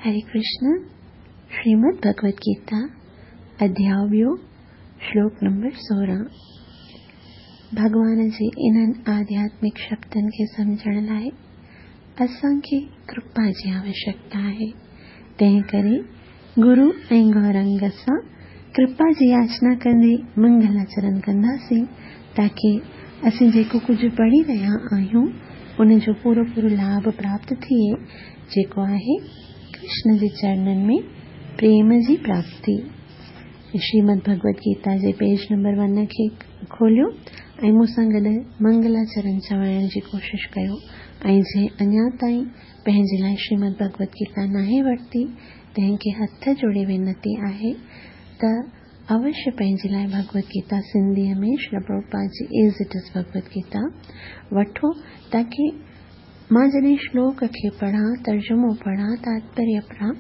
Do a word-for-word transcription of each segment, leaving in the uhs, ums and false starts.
हरे कृष्ण। श्रीमद् भगवद गीता अध्याय ॿियो श्लोक नंबर सोरहं। भॻवान जे इन्हनि आध्यात्मिक शब्दनि खे सम्झण लाइ असांखे कृपा जी आवश्यकता आहे। तंहिं करे गुरू ऐं गौरंग सां कृपा जी याचना कंदे मंगलाचरण कंदासीं, ताकी असीं जेको कुझु पढ़ी रहिया आहियूं उन जो पूरो पूरो लाभ प्राप्त थिए, जेको आहे कृष्ण जे चरणनि में प्रेम जी प्राप्ति। श्रीमद् भगवद गीता जे पेज नंबर वन खे खोलियो ऐं मूंसां गॾु मंगलाचरण चवाइण जी कोशिशि कयो। ऐं जंहिं अञा ताईं पंहिंजे लाइ श्रीमद् भगवद गीता नाहे वरिती, तंहिंखे हथ जोड़े वीनती आहे त अवश्य पंहिंजे लाइ भगवद गीता सिंधीअ में Shri Prabhupada ji as it is Bhagavad Gita वठो, ताकी मां जॾहिं श्लोक खे पढ़ां, तर्जुमो पढ़ां, तात्पर्य पढ़ां,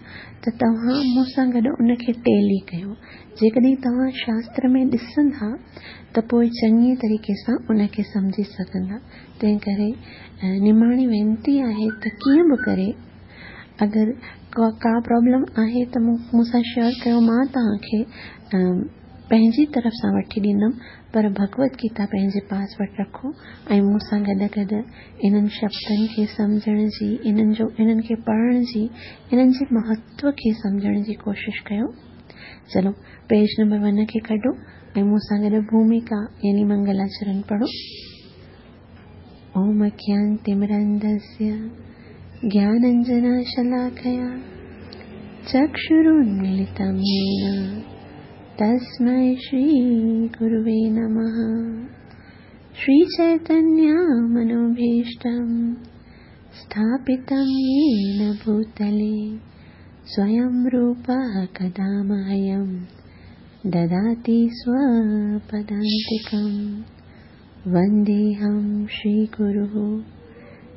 त तव्हां मूंसां गॾु उनखे टेली कयो। जेकॾहिं तव्हां शास्त्र में ॾिसंदा त पोइ चङी तरीक़े सां उनखे सम्झी सघंदा। तंहिं करे निमाणी वीनती आहे त कीअं बि करे अगरि का प्रॉब्लम आहे त मूंसां शेयर कयो, मां तव्हांखे पंहिंजी तरफ़ सां वठी ॾींदमि, पर भगवद गीता पंहिंजे पास वटि रखो ऐं मूंसां गॾु गॾु इन्हनि शब्दनि खे सम्झण जी, इन्हनि जो इन्हनि खे पढ़ण जी, इन्हनि जे महत्व खे सम्झण जी कोशिशि कयो। चलो पेज नंबर वन खे कढो ऐं मूंसां गॾु भूमिका यानी मंगलाचरण पढ़ो। ओम अज्ञानतिमिरन्धस्य ज्ञानाञ्जनशलाकया चक्षुरुन्मीलितं येन तस्मै श्रीगुरुवे नमः। श्रीचैतन्यमनोभीष्टं स्थापितं येन भूतले स्वयं रूपः कदा मह्यं ददाति स्वपदान्तिकं। वन्देऽहं श्रीगुरुः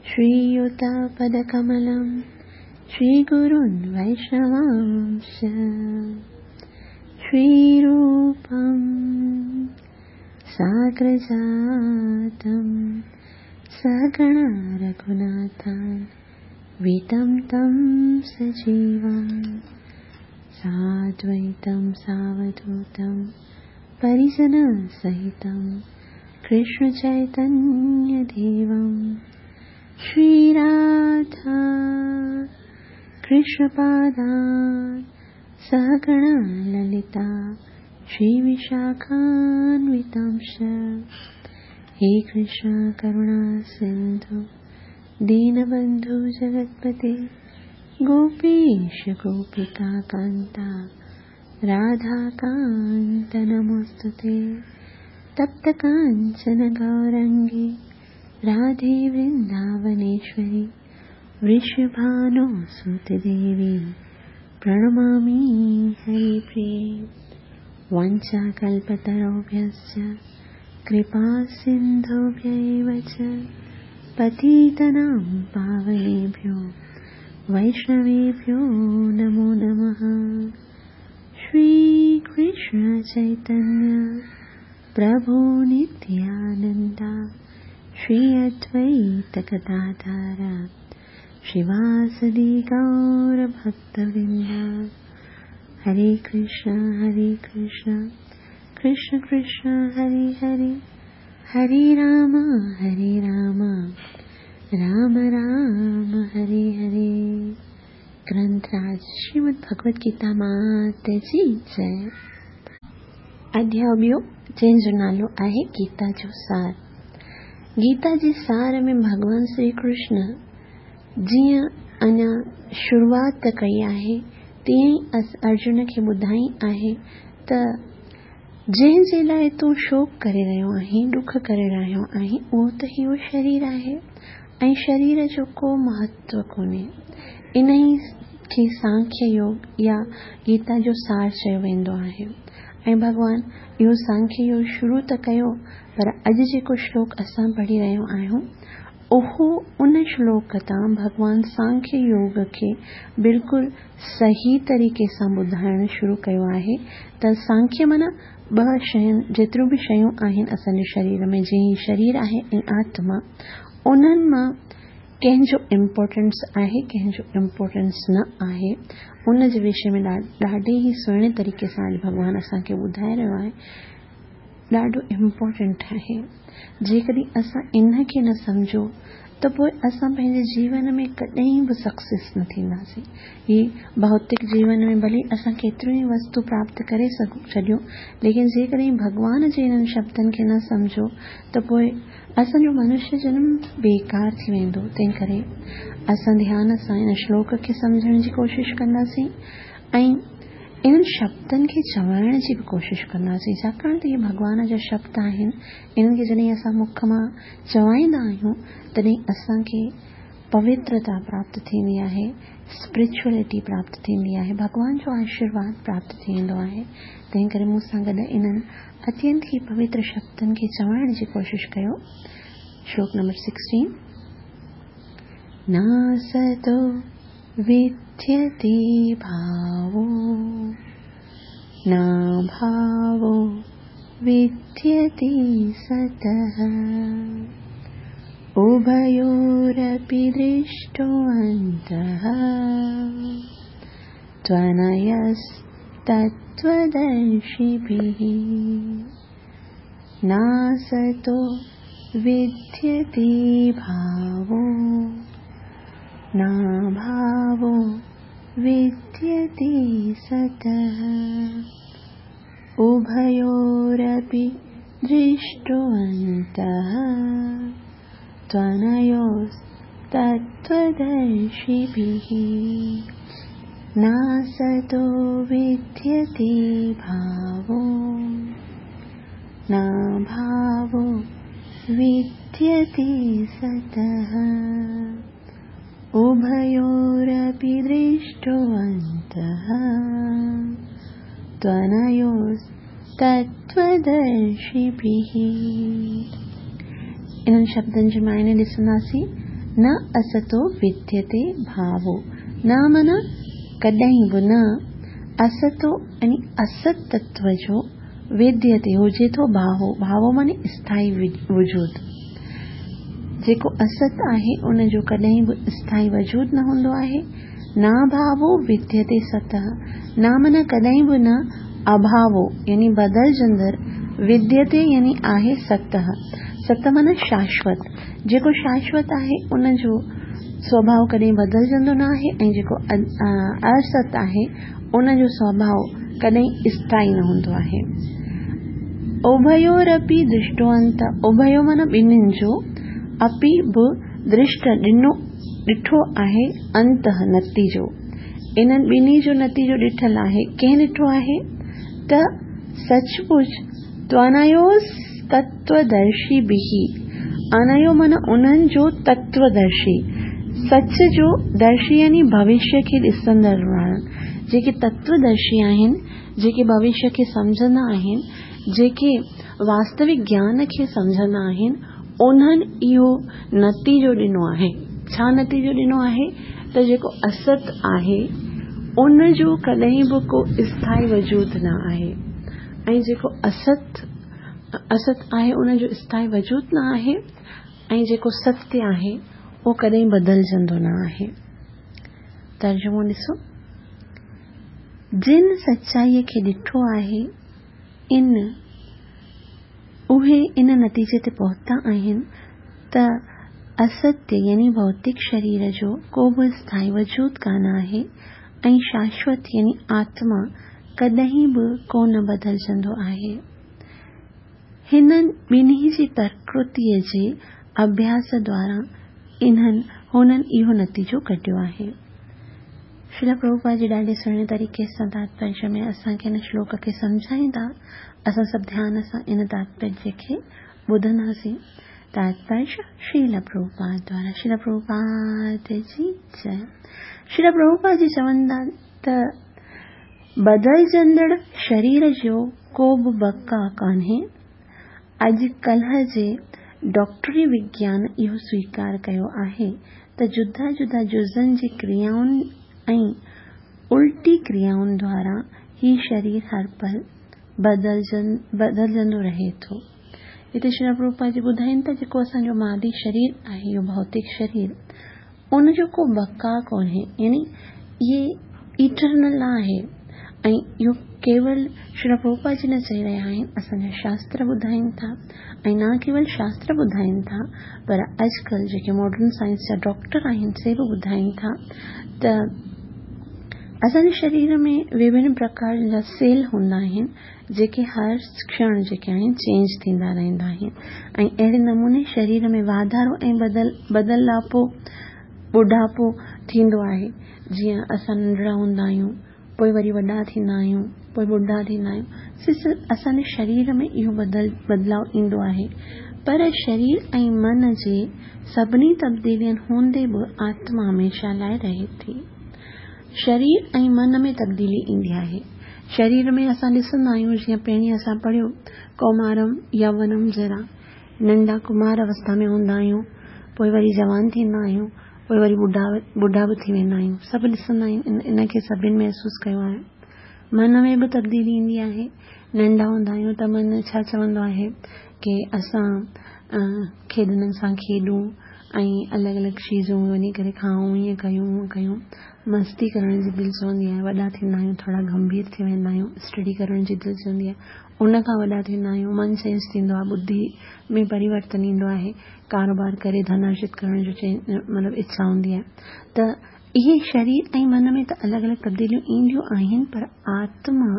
श्रीयुतपदकमलं श्रीगुरून् वैष्णवांश्च। श्रीरूपं साग्रजातं सहगण रघुनाथान्वितं तं सजीवं साद्वैतं सावधूतं परिजनसहितं कृष्णचैतन्यदेवं। श्रीराधा कृष्णपादान् सहगण ललिता श्रीविशाखान्वितांश्च। हे कृष्ण करुणा सिन्धु दीनबन्धु जगत्पते गोपीश गोपिका कान्ता राधाकान्त नमोऽस्तुते। तप्त काञ्चन गौरङ्गी राधे वृन्दावनेश्वरी वृषभानुसुते देवी प्रणमामि हरिप्रिये। वाञ्छाकल्पतरुभ्यश्च कृपासिन्धुभ्य एव च पतितानां पावनेभ्यो वैष्णवेभ्यो नमो नमः। श्रीकृष्ण चैतन्य प्रभु नित्यानन्द श्री अद्वैत गदाधर श्रीवासदि गौरभक्तवृन्द। हरे कृष्ण हरे कृष्ण कृष्ण कृष्ण हरे हरे, हरे राम हरे राम राम राम हरे हरे। ग्रंथराज श्रीमद् भगवद गीता मात जी जय। अध्याय ॿियो जंहिंजो नालो आहे गीता जो सार। गीता जे सार में भॻवान श्री कृष्ण जीअं अञा शुरूआत कई आहे तीअं ई अर्जुन खे ॿुधाई आहे त जंहिंजे लाइ तूं शोक करे रहियो आहीं, ॾुख करे रहियो आहीं, उहो त इहो शरीर आहे ऐं शरीर जो को महत्व कोन्हे। इन ई खे सांख्य योग या गीता जो सार चयो वेंदो आहे। ऐं भॻवान इहो सांख्य योग शुरू त कयो, पर अॼु जेको श्लोक असां पढ़ी रहिया आहियूं उहो उन श्लोक तां भॻवान सांख्य योग खे बिल्कुलु सही तरीक़े सां ॿुधाइणु शुरू कयो आहे। त सांख्य माना ॿ शयुनि, जेतिरियूं बि शयूं आहिनि असांजे शरीर में, जीअं शरीर आहे ऐं आत्मा, उन्हनि मां कंहिंजो इम्पोर्टेंस आहे, कंहिंजो इम्पोर्टेंस न आहे, उन जे विषय में ॾाढे ई सुहिणे तरीक़े सां अॼु भॻवानु असांखे ॿुधाए रहियो आहे। ॾाढो इम्पोर्टेंट आहे। जेकॾहिं असां इन खे न सम्झो त पोइ असां पंहिंजे जीवन में कॾहिं बि सक्सेस न थींदासीं। हीअ भौतिक जीवन में भले असां केतिरियूं ई वस्तु प्राप्त करे सघूं छॾियूं, लेकिन जेकॾहिं भॻवान जे इन्हनि शब्दनि खे न सम्झो त पोइ असांजो मनुष्य जन्म बेकार थी वेंदो। तंहिं करे असां ध्यान सां इन श्लोक खे सम्झण जी कोशिशि कंदासीं ऐं इन्हनि शब्दनि खे चवाइण जी बि कोशिशि कंदासीं, छाकाणि त इहे भॻवान जा शब्द आहिनि। इन्हनि खे जॾहिं असां मुख मां चवाईंदा आहियूं तॾहिं असांखे पवित्रता प्राप्त थींदी आहे, स्पिरिचुअलिटी प्राप्त थींदी आहे, भॻवान जो आशीर्वाद प्राप्त थी वेंदो आहे। तंहिं करे मूंसां गॾु इन्हनि अत्यंत ई पवित्र शब्दनि खे चवाइण जी कोशिशि कयो। श्लोक नंबर सिक्सटीन। नासतो विद्यते भावो नाभावो विद्यते सतः, उभयोरपि दृष्टोऽन्तः त्वनयस्तत्त्वदर्शिभिः। नासतो विद्यते भावो नाभावो विद्यते सतः, उभयोरपि दृष्टोऽन्तः त्वनयोस्तत्त्वदर्शिभिः। नासतो विद्यते भावो नाभावो विद्यते सतः, उभयोरपि दृष्टोऽन्तः त्वनयोस्तत्त्वदर्शिभिः। इन्हनि शब्दनि जे मायने ॾिसंदासीं, न असतो विद्यते भावो, न माना कॾहिं बि न, असतो यानी असत तत्व जो विद्यते हुजे थो भावो, भावो माने स्थायी वजूद, जेको असत आहे उनजो कॾहिं बि स्थायी वजूद न हूंदो आहे। न भावो विद्यते सतः, न माना कॾहिं बि न, अभावो यानी बदलजंदड़, विद्यते यानी आहे सतः, सत माना शाश्वत, जेको शाश्वत आहे उनजो स्वभाव कॾहिं बदलजंदो न आहे ऐं जेको असत आहे उनजो स्वभाव कॾहिं स्थायी न हूंदो आहे। उभयोरपि दृष्टोऽन्त, उभयो माना ॿिन्हिनि जो, अपि बि दृष्ट ॾिनो ॾिठो आहे, अंतः नतीजो, इन्हनि ॿिन्ही जो नतीजो ॾिठल आहे। कंहिं ॾिठो आहे? त सचमुच त्वनयोस्तत्त्वदर्शी बिहि, अनयो माना उन्हनि जो तत्वदर्शी, सच जो दर्शी यानी भविष्य खे ॾिसंदड़ वारा, जेके तत्वदर्शी आहिनि, जेके भविष्य खे सम्झंदा आहिनि, जेके वास्तविक ज्ञान खे सम्झंदा आहिनि, उन्हनि इहो नतीजो ॾिनो आहे। छा नतीजो ॾिनो आहे? त जेको असत आहे उनजो कॾहिं बि को स्थायी वजूद न आहे ऐं जेको असत असत आहे उनजो स्थायी वजूद न आहे ऐं जेको सत्य आहे उहो कॾहिं बदलजंदो न आहे। तर्जुमो ॾिसो, जिन सचाईअ खे ॾिठो आहे इन उहे इन नतीजे ते पहुता आहिनि त असत्य यानी भौतिक शरीर जो को बि स्थायी वजूद कान आहे ऐं शाश्वत यानी आत्मा कॾहिं बि कोन बदलजंदो आहे। हिननि ॿिन्ही जी प्रकृतीअ जे अभ्यास द्वारा इन्हनि हुननि इहो नतीजो कढियो आहे। श्रील प्रभुपाद जी ॾाढे सुहिणे तरीक़े सां तात्पर्य में असांखे हिन श्लोक खे सम्झाईंदा। असां सभु ध्यान सां इन तात्पर्य खे ॿुधंदासीं। तात्पर्य श्रील प्रभुपाद द्वारा। श्रील प्रभुपाद जी जय। श्रील प्रभुपाद जी चवंदा त बदलजंदड़ शरीर जो को बि बका कान्हे। अॼुकल्ह जे डॉक्टरी विज्ञान इहो स्वीकार कयो आहे त जुदा जुदा जुज़नि जी क्रियाउनि ऐं उल्टी क्रियाउनि द्वारा ही शरीर हर पल बदलजंदो रहे थो। हिते श्री प्रभुपाद जी ॿुधाइनि था जेको असांजो मादी शरीर आहे, इहो भौतिक शरीर, ان جو ڪو بقا ڪونهي، يعني اهي ايٽرنل نه آهي. ۽ اهو ڪيول شري پرڀوپاد جي نه چئي رهيا آهن، اسان جا شاستر ٻڌائين ٿا. ۽ نه ڪيول شاستر ٻڌائين ٿا، پر اڄڪلهه جيڪي ماڊرن سائنس جا ڊاڪٽر آهن سي به ٻڌائين ٿا ته اسان جي شرير ۾ وڀن پرڪار جا سيل هوندا آهن، جيڪي هر ڪشڻ جيڪي آهن چينج ٿيندا رهندا آهن. ۽ اهڙي نموني شرير ۾ واڌارو ۽ بدل بدلاپو ٻڍاپو ٿيندو آهي. جيئن اسان ننڍڙا هوندا آهيون، پوءِ وري وڏا ٿيندا آهيون، پوءِ ٻڍا ٿيندا آهيون، اسان جي شرير ۾ اهو بدل بدلاءُ ايندو آهي. پر شرير ۽ من جي سڀني تبديلين هوندي به آتما هميشه لاءِ رهي ٿي. شرير ۽ من ۾ تبديلي ايندي آهي. شرير ۾ اسان ڏسندا آهيون، جيئن پهرين اسان پڙهيو ڪومارم يوونم جرا، ننڍا ڪمار اوسٿا ۾ هوندا آهيون، پوءِ وري جوان ٿيندا آهيون، پوءِ وري ٻڍا ٻڍا به ٿي ويندا آهيون. سڀ ڏسندا آهيون، ان کي سڀني محسوس ڪيو آهي. من ۾ به تبديلي ايندي آهي. ننڍا هوندا آهيون ته من ڇا چوندو آهي ڪه اسان کيڏنن سان کيڏون ۽ الڳ الڳ چيزون وڃي ڪري کائون، ائين ڪيون هونئن ڪيون، مستي ڪرڻ جي دل چوندي آهي. وڏا ٿيندا آهيون، ٿورا گنڀير ٿي ويندا آهيون، اسٽڊي ڪرڻ جي دل چوندي آهي. ان کان وڏا ٿيندا آهيون، من چينج ٿيندو آهي، ٻڌي ۾ پريورتن ايندو آهي، ڪاروبار ڪري ڌن ارجت ڪرڻ جو مطلب اڇا هوندي آهي. ته اهي شرير ۽ من ۾ ته الڳ الڳ تبديليون اينديون آهن، پر آتما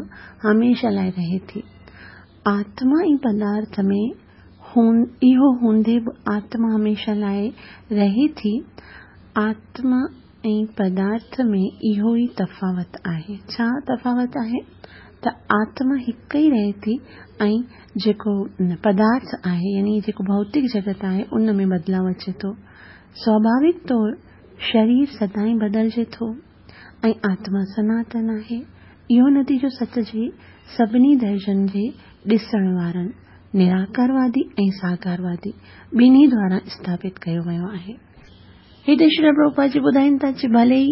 هميشه لاءِ رهي ٿي. آتما ۽ پدارٿ ۾ اهو هوندي به آتما هميشه لاءِ رهي ٿي. آتما ۽ پدارٿ ۾ اهو ئي تفاوت آهي. ڇا تفاوت آهي؟ ته آتما هڪ ئي رهي ٿي ۽ جيڪو پدارٿ آهي، يعني جيڪو ڀوتڪ جڳت آهي، ان ۾ بدلاءُ اچي ٿو. سوڀاوڪ طور شرير سدائين بدلجي ٿو ۽ آتما سناتن آهي. اهو نتيجو سچ جي سڀني درجن جي ڏسڻ وارن، نراڪاروادي ۽ ساڪاروادي ٻنهي دوارا اسٿاپت ڪيو ويو آهي. هتي شري پرڀوپاد جي ٻڌائين ٿا چې ڀلي ئي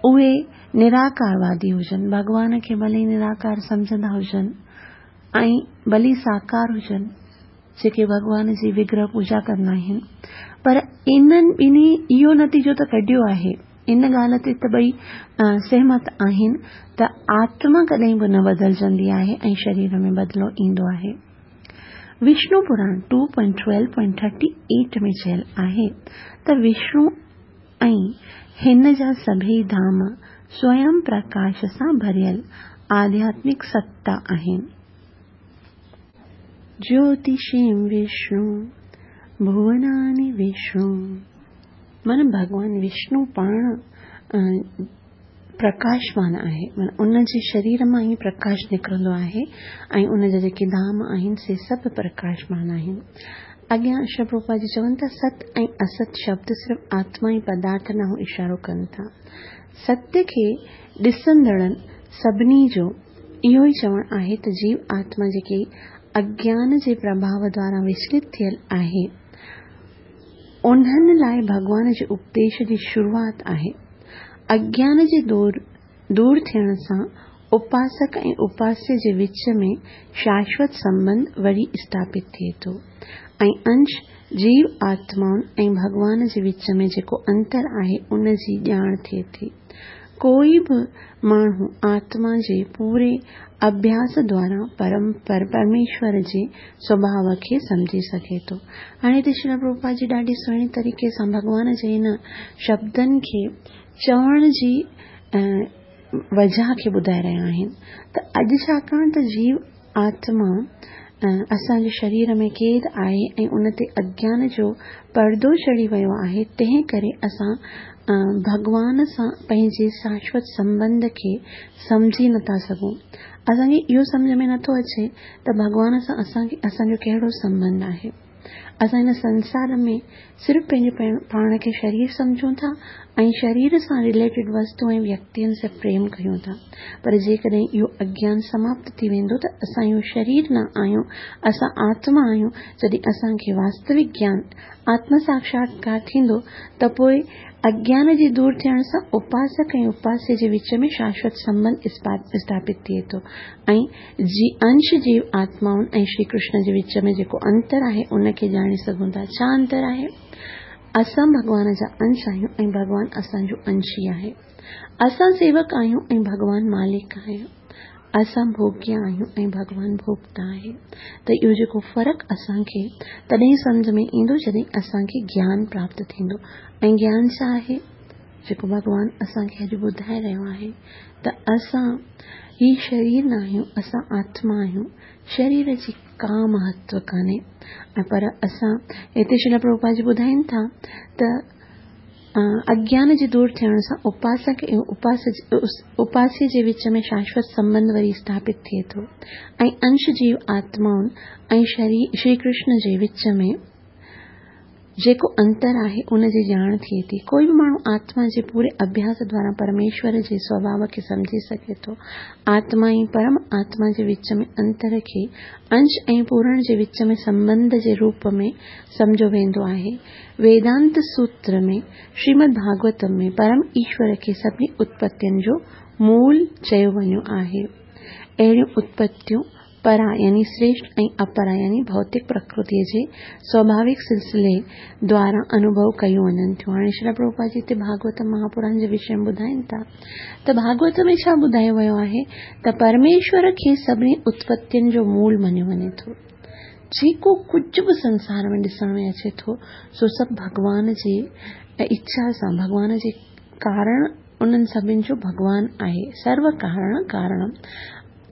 اهي نراڪاروادي هجن، ڀڳوان کي ڀلي نراڪار سمجهندا هجن ۽ ڀلي ساڪار هجن، جيڪي ڀڳوان جي وگرهه پوڄا ڪندا آهن، پر انهن ٻنهي اهو نتيجو ته ڪڍيو آهي، ان ڳالهه تي ته ٻئي سهمت آهن ته آتما ڪڏهن به نه بدلجندي آهي ۽ شرير ۾ بدلاءُ ايندو آهي. وشنو پراڻ two point twelve point thirty eight ۾ چيل آهي ته وشنو ۽ هن جا سڀئي ڌام سويم پرڪاش سان ڀريل آڌياتمڪ ستتا آهن. جيوتشيم وشنو ڀووناني وشنو، معنيٰ ڀڳوان وشنو پاڻ پرڪاشمان آهي، معنيٰ ان جي شرير مان ئي پرڪاش نڪرندو آهي ۽ ان جا جيڪي ڌام آهن سي سڀ پرڪاشمان آهن. اڳيان شري پرڀوپاد جي چون ٿا ست ۽ است شبد صرف آتما ۽ پدارٿ ڏانهن اشارو ڪن ٿا. ستيه کي ڏسندڙن سڀني جو اهو ئي چوڻ آهي ته جيو آتما جيڪي اگيان جي پرڀاو دوارا وچلت ٿيل آهي، انهن لاءِ ڀڳوان جي اپديش جي شروعات آهي. اگيان جي دور دور ٿيڻ سان اپاسڪ ۽ اپاسيه جي وچ ۾ شاشوت سنٻنڌ وري اسٿاپت ٿئي ٿو ۽ انش جيو آتمائن ۽ ڀڳوان جي وچ ۾ جيڪو انتر آهي ان جي ڄاڻ ٿئي ٿي. ڪوئي به ماڻهو آتما جي پوري اڀياس دوارا پرم پر پرميشور جي سوڀاو کي سمجهي سگهي ٿو. هاڻي هتي شري پرڀوپاد جي ڏاڍي سهڻي طريقي سان ڀڳوان جي هن شبدن کي چوڻ جي وجهه کي ٻڌائي رهيا آهن ته اڄ ڇاڪاڻ ته جيو آتما اسان جي شرير ۾ قيد آهي ۽ ان تي اگيان جو پردو چڙهي ويو آهي، تنهن ڪري اسان ڀڳوان سان پنهنجي شاشوت سنٻنڌ کي سمجهي نٿا سگهون. اسان کي اهو سمجهه ۾ نٿو اچي ته ڀڳوان سان اسان کي اسان جو ڪهڙو سنٻنڌ آهي. اسان هن سنسار ۾ صرف پنهنجو پاڻ کي شرير سمجهون ٿا ۽ شرير سان رليٽيڊ وستو ۽ ويڪتين سان پريم ڪيون ٿا، پر جيڪڏهن اهو اگيان سماپت ٿي ويندو ته اسان اهو شرير نه آهيون، اسان آتما آهيون. جڏهن اسان کي واستوڪ گيان آتم ساڪشاتڪار ٿيندو ته پوءِ اگيان جي دور ٿيڻ سان اپاسڪ ۽ اپاسيه جي وچ ۾ شاشوت سنٻنڌ اسٿاپت ٿئي ٿو ۽ جي انش جيو آتمائن ۽ شري ڪرشن جي وچ ۾ جيڪو انتر آهي ان کي ڄاڻي سگهون ٿا. ڇا انتر آهي؟ असां भॻवान जा अंश आहियूं ऐं भॻवान असांजो अंश ई आहे। असां सेवक आहियूं ऐं भॻवान मालिक आहे। असां भोग्य आहियूं ऐं भॻवान भोक्ता आहे। त इहो जेको फ़र्क़ु असांखे तॾहिं सम्झ में ईंदो जॾहिं असांखे ज्ञान प्राप्त थींदो। ऐं ज्ञान छा आहे? जेको भॻवान असांखे अॼु ॿुधाए रहियो आहे त असां ही शरीर न आहियूं, असां आत्मा आहियूं। शरीर जी का महत्व कान्हे। ऐं पर असां हिते श्रील प्रभुपाद जी ॿुधाइनि था त अज्ञान जे दूर थियण सां उपासक ऐं उपास उपास्य जे विच में शाश्वत संबंध वरी स्थापित थिए थो ऐं अंश जीव आत्माउनि ऐं श्री कृष्ण जे विच में जेको अंतर आहे उन जी ॼाण थिए थी। कोई बि माण्हू आत्मा जे पूरे अभ्यास द्वारा परमेश्वर जे स्वभाव खे सम्झी सघे थो। आत्मा ऐं परम आत्मा जे विच में अंतर खे अंश ऐं पूरण जे विच में संबंध जे रूप में सम्झो वेंदो आहे। वेदांत सूत्र में श्रीमद् भागवतम में परम ईश्वर खे सभिनी उत्पत्तियुनि जो मूल चयो वञो आहे। अहिड़ियूं उत्पत्तियूं परा यानी श्रेष्ठ ऐं अपरा यानी भौतिक प्रकृतीअ जे स्वाभाविक सिलसिले द्वारा अनुभव कयूं वञनि थियूं। हाणे श्रील प्रभुपाद जी हिते भागवत महापुराण जे विषय में ॿुधाइनि था त भागवत में छा ॿुधायो वियो आहे त परमेश्वर खे सभिनी उत्पत्तियुनि जो मूल मञियो वञे थो। जेको कुझु बि संसार में ॾिसण में अचे थो सो सभु भॻवान जे इच्छा सां, भॻवान जे कारण उन्हनि सभिनी जो भॻवान आहे। सर्व कारण कारणम।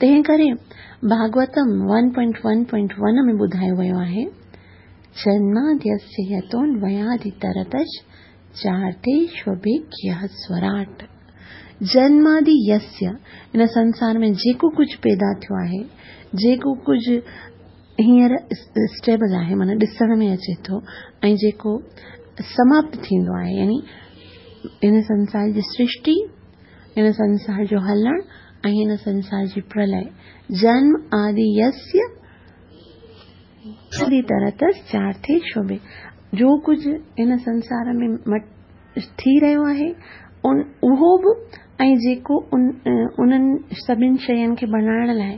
तंहिं करे Bhagavatam one point one point one में ॿुधायो वियो आहे, जन्माद्यस्य यतोऽन्वयादितरतश् चार्थेष्वभिज्ञः स्वराट्। जन्मादि यस्य, हिन संसार में जेको कुझु पैदा थियो आहे, जेको कुझु हींअर स्टेबल आहे, माना ॾिसण में अचे थो ऐं जेको समाप्त थींदो आहे, यानी हिन संसार जी सृष्टि, हिन संसार जो हलणु ऐं हिन संसार जी प्रलय, जन्म आदि यस्य तरतस चार्थे शोभे, जो कुझु हिन संसार में थी रहियो आहे उन उहो बि ऐं जेको उन उन्हनि सभिनी शयुनि खे बणाइण लाइ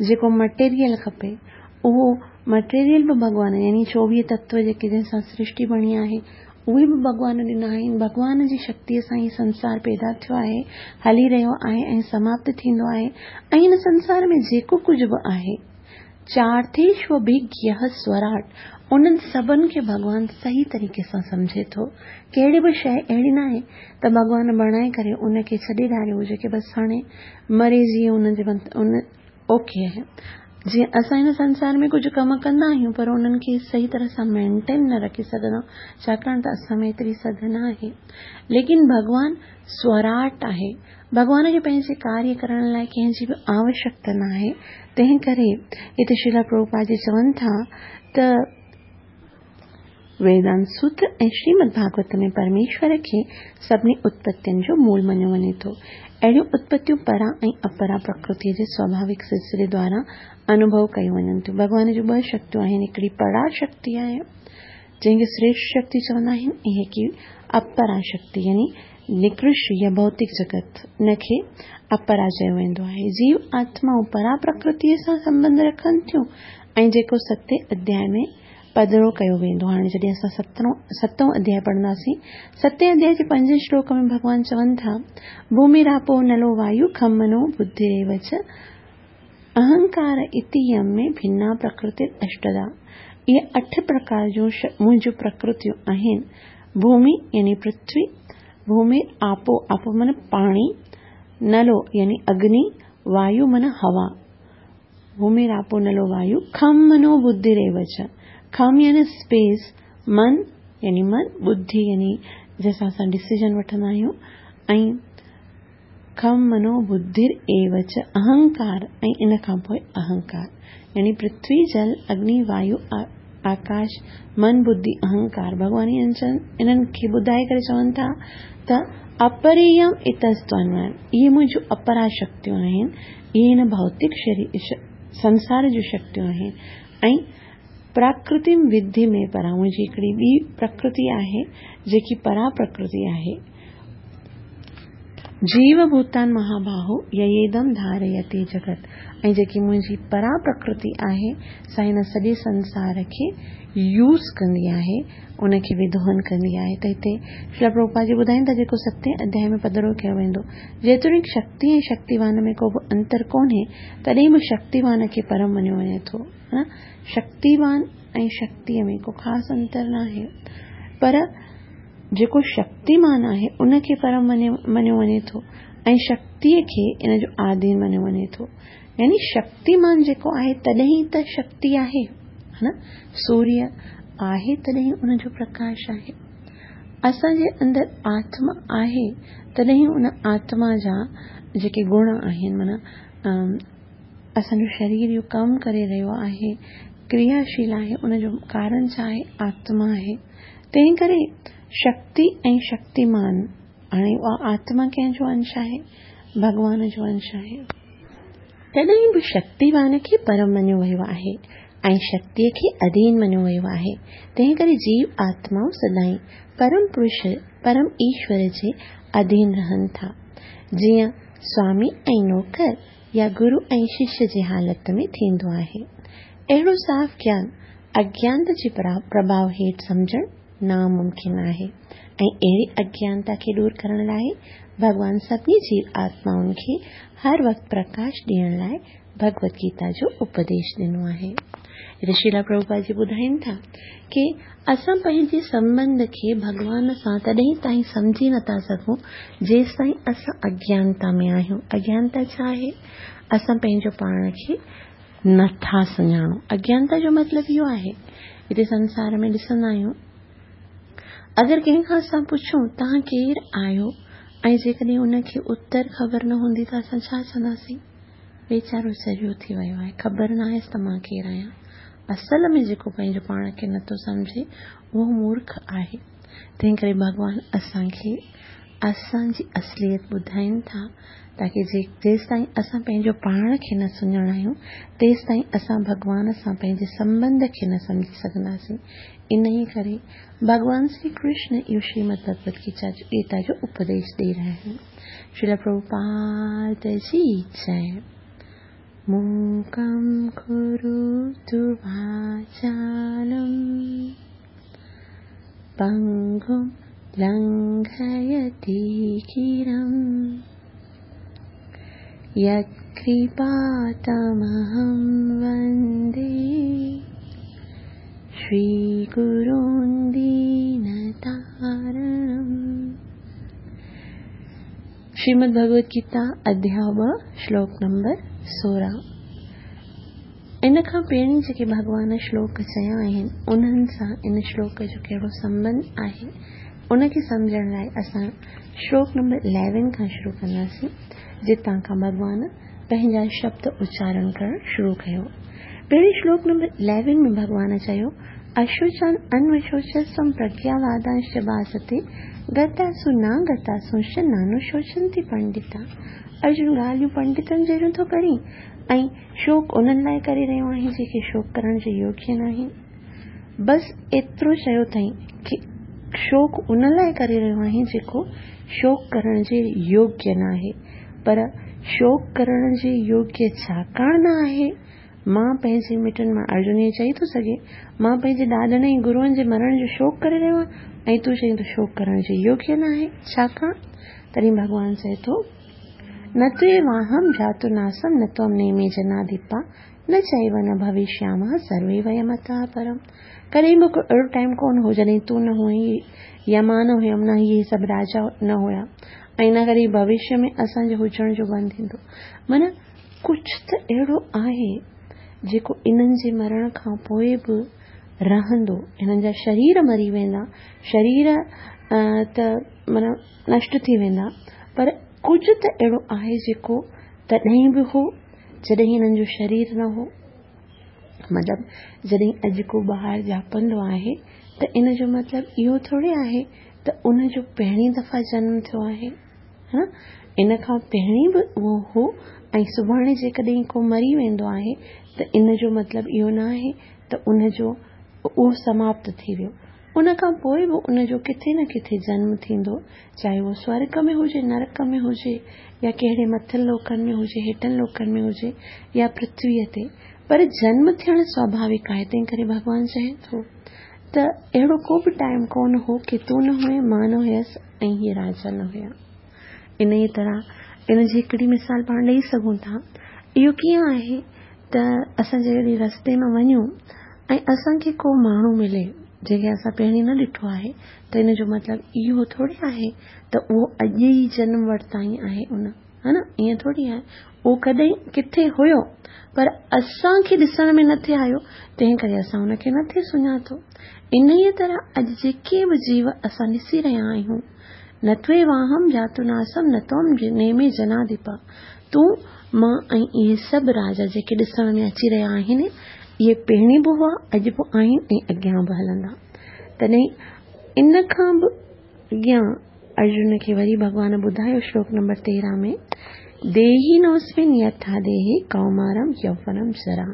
जेको मटेरियल खपे उहो मटेरियल बि भॻवान, यानी चोवीह तत्व जेके जंहिंसां सृष्टि बणी आहे उहे बि भॻवान ॾिना आहिनि। भॻवान जी शक्तीअ सां ई संसार पैदा थियो आहे, हली रहियो आहे ऐं समाप्त थींदो आहे। ऐं हिन संसार में जेको कुझु बि आहे चार्थेष्वभिज्ञः स्वराट, उन्हनि सभिनि खे भॻवान सही तरीक़े सां सम्झे थो। कहिड़ी बि शइ अहिड़ी न आहे त भॻवान बणाए करे उनखे छॾे ॾारियो हुजे की बसि हाणे मरे जीअं उनजे उन ओके आहे। जीअं असां हिन संसार में कुझु कम कंदा आहियूं पर उन्हनि खे सही तरह सां मेंटेन न रखी सघंदा, छाकाणि त असां में एतिरी सघ न आहे। लेकिन भॻवान स्वराट आहे, भॻवान खे पंहिंजे कार्य करण लाइ कंहिंजी बि आवश्यकता न आहे। तंहिं करे हिते श्रील प्रभुपाद जी चवनि था त वेदांत सूत्र ऐं श्रीमद् भागवत में परमेश्वर खे सभिनी उत्पत्तियुनि जो मूल मञियो वञे थो। अहिड़ियूं उत्पत्तियूं परा ऐं अपरा प्रकृतीअ जे स्वाभाविक सिलसिले द्वारा अनुभव कयूं वञनि थियूं। भॻवान जूं ॿ शक्तियूं आहिनि, हिकिड़ी परा शक्ति आहे जंहिंखे श्रेष्ठ शक्ति चवंदा आहिनि ऐं हिकिड़ी अपरा शक्ति यानी निकृष्ट या भौतिक जगत उनखे अपरा चयो वेंदो आहे। जीव आत्माऊं परा प्रकृतीअ सां संबंध रखनि थियूं ऐं जेको सतें अध्याय में पधरो कयो वेंदो। हाणे जॾहिं असां सतरों सतों अध्याय पढ़ंदासीं, सतें अध्याय जे पंजे श्लोक में भॻवान चवनि था, भूमिरापो नलो वायु खम मनो बुद्धिरेव च अहंकार इति यम में भिन्ना प्रकृति अष्टदा। इहे अठ प्रकार जूं मुंहिंजूं प्रकृतियूं आहिनि। भूमि यानी पृथ्वी, भूमि आपो, आपो माना पाणी, नलो यानी अग्नि, वायु माना हवा, भूमि आपो नलो वायु, खम मनो बुद्धिरेव च, खम यानी स्पेस, मन यानी मन, बुद्धि यानी जंहिंसां असां डिसीजन वठंदा आहियूं, ऐं खम मनो बुद्धिर एव च अहंकार, ऐं इन खां पोइ अहंकार यानी पृथ्वी जल अग्नि वायु आकाश मन बुद्धि अहंकार। भॻवान इन्हनि खे ॿुधाए करे चवनि था त अपरेयम इतस्त्वन्वयम्, इहे मुंहिंजूं अपरा शक्तियूं आहिनि, इहे हिन भौतिक शरीर संसार जूं शक्तियूं आहिनि। ऐं प्राकृतिम विद्धि में परा, मुंहिंजी हिकिड़ी ॿी प्रकृति आहे जेकी परा प्रकृति आहे। جيو ڀوتان مهاباهو ييدم ڌاريتي جڳت، ऐं जेकी मुंहिंजी परा प्रकृति आहे सा हिन सॼे संसार खे यूज़ कंदी आहे, उनखे विदोहन कंदी आहे। त हिते श्रील प्रभुपाद जी ॿुधाइनि था जेको सतें अध्याय में पधरो कयो वेंदो, जेतोणीकि शक्ति ऐं शक्तिवान में को बि अंतर कोन्हे, तॾहिं बि शक्तिवान खे परम मञियो वञे थो। हा, शक्तिवान ऐं शक्तीअ में को ख़ासि अंतर न आहे, पर जेको शक्तिमान आहे उनखे परम मञियो वञे थो ऐं शक्तीअ खे इन जो आधीन मञियो वञे थो। यानी शक्तिमान जेको आहे तॾहिं त शक्ति आहे, हा न, सूर्य आहे तॾहिं उनजो प्रकाश आहे। असांजे अंदरि आत्मा आहे तॾहिं उन आत्मा जा जेके गुण आहिनि, माना असांजो शरीर इहो कमु करे रहियो आहे, क्रियाशील आहे, उनजो कारण छा आहे? आत्मा आहे। तंहिं करे शक्ति ऐं शक्तिमान, हाणे उहा आत्मा कंहिंजो अंश आहे? भॻवान जो अंश आहे। तॾहिं बि शक्तिवान खे परम मञियो वियो आहे ऐं शक्तीअ खे अधीन मञियो वियो आहे। तंहिं करे जीव आत्माऊं सदाईं परम पुरुष, परम ईश्वर जे अधीन रहनि था, जीअं स्वामी ऐं नौकर या गुरु ऐं शिष्य जे हालत में थींदो आहे। अहिड़ो साफ़ ज्ञान अज्ञानता जे प्रभाव हेठि सम्झणु नामुमकिन आहे ऐं अहिड़ी अज्ञानता खे दूर करण लाइ भॻवान सभिनी जीव आत्माउनि खे हर वक़्तु प्रकाश ॾियण लाइ भगवत गीता जो उपदेश ॾिनो आहे। हिते श्रील प्रभुपाद जी ॿुधाइनि था की असां पंहिंजे संबंध खे भॻवान सां तॾहिं ताईं सम्झी नथा सघूं जेसि ताईं असां अज्ञानता में आहियूं। अज्ञानता छा आहे? असां पंहिंजो पाण खे नथा सुञाणूं। अज्ञानता जो मतिलबु इहो आहे, हिते संसार में ॾिसंदा आहियूं, अगरि कंहिंखां असां पुछूं तव्हां केरु आहियो ऐं जेकॾहिं उनखे उत्तर ख़बर न हूंदी त असां छा चवंदासीं? वीचारो चरियो थी वियो आहे, ख़बर न आहियसि त मां केरु आहियां। असल में जेको पंहिंजो पाण खे नथो सम्झे उहो मूर्ख आहे। तंहिं करे भॻवान असांखे असांजी असलियत ॿुधाइनि था ताकी जेसि ताईं असां पंहिंजो पाण खे न सुञाणायूं तेसि ताईं असां भॻवान सां पंहिंजे संबंध खे न सम्झी सघंदासीं। इन ई करे भॻवान श्री कृष्ण इहो श्रीमद् भगवत गीता जो उपदेश ॾेई रहिया आहिनि। श्रील प्रभुपाद जी जय। मूकं करोतु वाचालं पङ्गुं लङ्घयति गिरिं यत्कृपातमहं वन्दे श्रीगुरुं दीनतारणम्। श्रीमद् भगवत गीता अध्याय ॿ श्लोक नंबर सोरहं। इन खां पहिरीं जेके भॻवान श्लोक चया आहिनि उन्हनि सां इन श्लोक जो कहिड़ो संबंध आहे उनखे सम्झण लाइ असां श्लोक नंबर इलेवन खां शुरू कंदासीं, जितां खां भॻवान पंहिंजा शब्द उच्चारण करणु शुरू कयो। पहिरीं श्लोक नंबर इलेवन में भॻवान चयो, अशोचान अन्वशोचस्त्वं प्रज्ञावादांश्च भासते गतासु न गतासुंश्च नानुशोचन्ति पंडिता। अर्जुन ॻाल्हियूं पंडितनि जहिड़ियूं थो करीं ऐं शोक उन्हनि लाइ करे रहियो आहीं जेके शोक करण जे योग्य न आहिनि। बसि एतिरो चयो अथई की शोक उन लाइ करे रहियो आहीं जेको शोक करण जे योग्य न आहे, पर शोक करण जे योग्य छाकाणि न आहे। मां पंहिंजे मिटनि मां, अर्जुन ईअं चई थो सघे, मां पंहिंजे ॾाॾनि ऐं गुरुअनि जे मरण जो शोक करे रहियो आहियां ऐं तूं चई थो शोक करण जे योग्य न आहे, छाकाणि? तॾहिं भॻवान चए थो, न त्वेवाहं जातु नासं न त्वं नेमे जनाधिपा न चैव न भविष्यामः सर्वे वयमतः परम्। कॾहिं बि अहिड़ो टाइम कोन हो जॾहिं तूं न हुई या मां न हुयमि, न इहे सभु राजा न हुया ऐं न कॾहिं भविष्य में असांजे हुजण जो बंदि थींदो। माना कुझु त अहिड़ो आहे जेको इन्हनि जे मरण खां पोइ बि रहंदो। हिननि जा शरीर मरी वेंदा, शरीर त माना नष्ट थी वेंदा, पर कुझु त अहिड़ो आहे जेको तॾहिं बि हो जॾहिं हिननि जो शरीर न हो। मतिलबु जॾहिं अॼु को ॿार ॼापंदो आहे त इन जो मतिलबु इहो थोरी आहे त उनजो पहिरीं दफ़ा जन्म थियो आहे, हा, इन खां पहिरीं बि उहो हो ऐं सुभाणे जेकॾहिं को मरी वेंदो आहे त इन जो मतिलबु इहो न आहे त उनजो उहो समाप्त थी वियो। ان کان پوءِ به ان جو ڪٿي نه ڪٿي جنم ٿيندو، چاهي اهو سورڳ ۾ هجي، نرڪ ۾ هجي، يا ڪهڙي مٿن لوڪن ۾ هجي، هيٺن لوڪن ۾ هجي، يا پرٿويءَ تي، پر جنم ٿيڻ سواڀاوڪ آهي. تنهن ڪري ڀڳوان چئي ٿو ته اهڙو ڪو به ٽائيم ڪونه هو ڪه تون نه هئين، مان نه هيس ۽ هيءَ راجا نه هيا. ان ئي طرح ان جي هڪڙي مثال پاڻ ڏيئي سگهون ٿا. اهو ڪيئن آهي ته اسان جڏهن رستي مان وڃون ۽ اسان کي ڪو ماڻهو ملي جنهن کي اسان پهرين نه ڏٺو آهي، ته ان جو مطلب اهو ٿوري آهي ته اهو اڄ ئي جنم ورتائين آهي ان، ها نه، ائين ٿوري آهي. اهو ڪڏهن ڪٿي هيو پر اسان کي ڏسڻ ۾ نٿي آيو، تنهن ڪري اسان هن کي نٿي سڃاتو. ان ئي طرح اڄ جيڪي به جيو اسان ڏسي رهيا آهيون، نه توي واهم جاتو ناسم نه تم نيمي جناديپا، تون مان ۽ اهي سڀ راجا جيڪي ڏسڻ ۾ اچي رهيا آهن، اهي پهرين به هئا، اڄ به آهن ۽ اڳيان به هلندا. تڏهن ان کان به اڳيان ارجن کي وري ڀڳوان ٻڌايو شلوڪ نمبر تيرهن ۾، ديهي نوسمن يٿا ديهي ڪومارم يوونم جرا.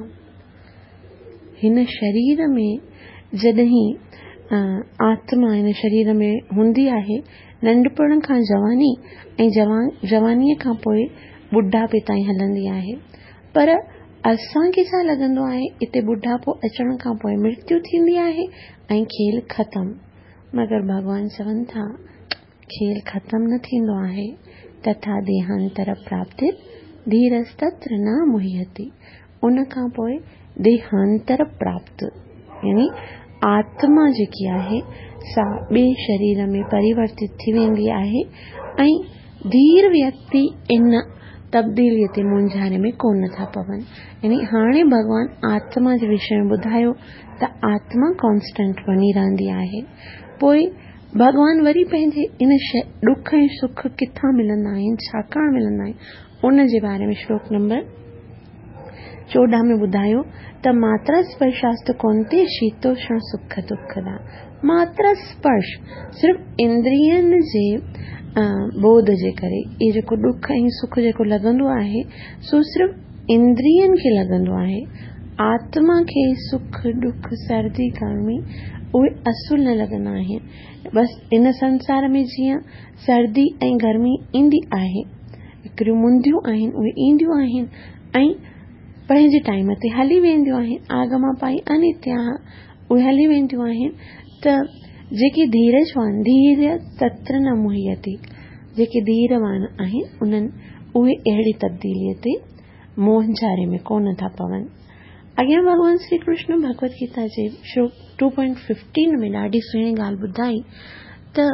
هن شرير ۾ جڏهن آتما هن شرير ۾ هوندي آهي، ننڍپڻ کان جواني ۽ جوان جوانيءَ کان پوءِ ٻڍاپي تائين هلندي آهي. پر اسان کي ڇا لڳندو آهي، هتي ٻڍاپو اچڻ کان پوءِ مرتيو ٿيندي آهي ۽ کيل ختم. مگر ڀڳوان چون ٿا کيل ختم نه ٿيندو آهي. تٿا ديهانتر پراپتي ڌيرستتر نه مهيتي. ان کان پوءِ ديهانتر پراپت يعني آتما جيڪي آهي سا ٻئي شرير ۾ پريورتت ٿي ويندي آهي ۽ ڌير ويڪتي ان تبديليءَ تي مونجهاري ۾ ڪونه ٿا پون. يعني هاڻي ڀڳوان آتما جي وشي ۾ ٻڌايو ته آتما ڪانسٽنٽ بڻي رهندي آهي. پوءِ ڀڳوان وري پنهنجي ان ڏک ۽ سک ڪٿان ملندا آهن، ڇاڪاڻ ملندا آهن، ان جي باري ۾ شلوڪ نمبر چوڏهن ۾ ٻڌايو ته ماترا سپرشاست ڪونتي شيتوشڻ سک دکدا. ماترا سپرش صرف اندرين جي بوڌ جي ڪري اهو جيڪو ڏک ۽ سک جيڪو لڳندو آهي سو صرف اندرين کي لڳندو آهي. آتما کي سک ڏک سردي گرمي اهي اصل نه لڳندا آهن. بس ان سنسار ۾ جيئن سردي ۽ گرمي ايندي آهي، هڪڙيون منديون آهن اهي اينديون آهن ۽ پنهنجي ٽائيم تي هلي وينديون آهن. آگما پائي انتيا اهي هلي وينديون آهن. ته جيڪي ڌيرجوان ڌير تتر نه مهيتي، جيڪي ڌيروان آهن انهن اهي اهڙي تبديليءَ تي مونجهاري ۾ ڪونه ٿا پون. اڳيان ڀڳوان شري ڪرشن ڀڳوت گيتا جي شلوڪ ٽو پوائنٽ ففٽين ۾ ڏاڍي سهڻي ڳالهه ٻڌائي ته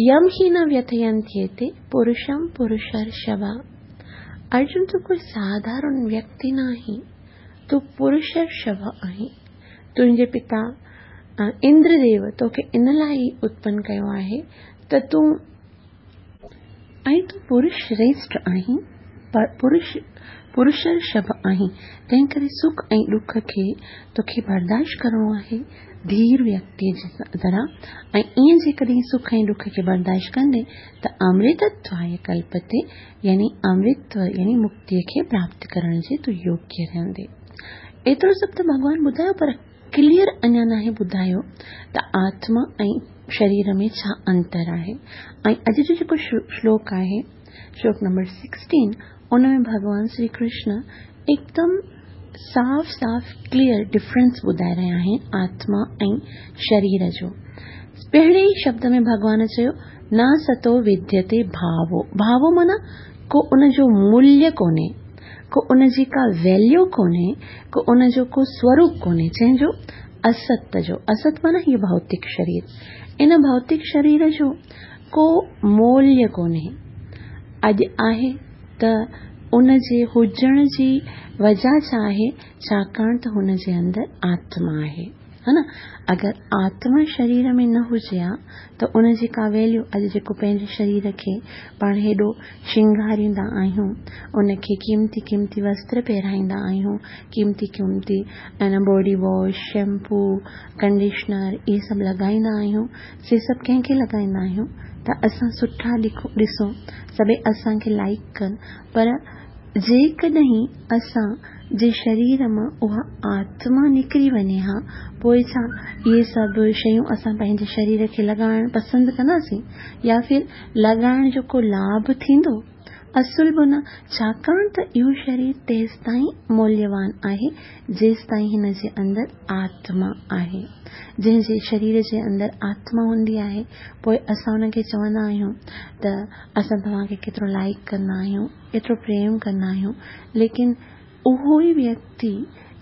يم هي نه ويٿينتيتي پرشم پرشرشڀا. ارجن تون ڪوئي ساڌارڻ ويڪتي نه آهين، تون پرشرشڀ آهين. تنهنجي پتا اندرديو توکي ان لاءِ ئي اتپن ڪيو آهي ته تون ۽ تون پرش شريشٺ آهين، پرش پرشرشڀ آهين. تنهن ڪري سک ۽ ڏک کي توکي برداشت ڪرڻو آهي ڌير ويڪتيءَ جي طرح. ۽ ائين جيڪڏهن سک ۽ ڏک کي برداشت ڪندي ته امرتتواي ڪلپتي يعني امرتو يعني مڪتيءَ کي پراپت ڪرڻ جي تون يوگيه رهندي. ايترو سڀ ته ڀڳوان ٻڌايو، پر ڪليئر اڃا ناهي ٻڌايو ته آتما ۽ شرير ۾ ڇا انتر آهي. ۽ اڄ جو جيڪو شلوڪ آهي شلوڪ نمبر سڪسٽين، ان ۾ ڀڳوان شري ڪرشن هڪدم صاف صاف ڪليئر ڊفرنس ٻڌائي رهيا آهن آتما ۽ شرير جو. پهرين ئي شبد ۾ ڀڳوان چيو نه ستو وديتي ڀاوو. ڀاوو معنيٰ ڪو ان جو موليه ڪونهي، ڪو ان جي ڪا ويليو ڪونهي، ڪو ان جو ڪو سوروپ ڪونهي. جنهن جو است جو است معنيٰ هيءُ ڀوتڪ شرير، ان ڀوتڪ شرير جو ڪو موليه ڪونهي. اڄ آهي ته ان جي هجڻ جي وجهه ڇا آهي؟ ڇاڪاڻ ته هن جي اندر آتما آهي، ها نه. اگر آتما شرير ۾ نه هجي ها ته ان جي ڪا ويليو، اڄ جيڪو پنهنجي شرير کي پاڻ هيڏو شرنگاريندا آهيون، ان کي قيمتي قيمتي وستر پهرائيندا آهيون، قيمتي قيمتي ۽ باڊي واش، شيمپو، ڪنڊيشنر اهي سڀ لڳائيندا آهيون، سي سڀ ڪنهن کي لڳائيندا آهيون؟ ته اسان سٺا ڏسون، سڀئي اسان کي لائيڪ ڪن. پر जेकॾहिं असां जे शरीर मां उहा आत्मा निकिरी वञे हा, पोइ छा इहे सभु शयूं असां पंहिंजे शरीर खे लॻाइण पसंदि कंदासीं या फिर लॻाइण जो को लाभ थींदो? असुल बि न, छाकाणि त इहो शरीर तेसि ताईं मूल्यवान आहे जेसि ताईं हिन जे अंदरि आत्मा आहे। जंहिंजे शरीर जे अंदरि आत्मा हूंदी आहे, पोइ असां हुनखे चवंदा आहियूं त असां तव्हांखे केतिरो लाइक कंदा आहियूं, एतिरो प्रेम कंदा आहियूं, लेकिन उहो ई व्यक्ति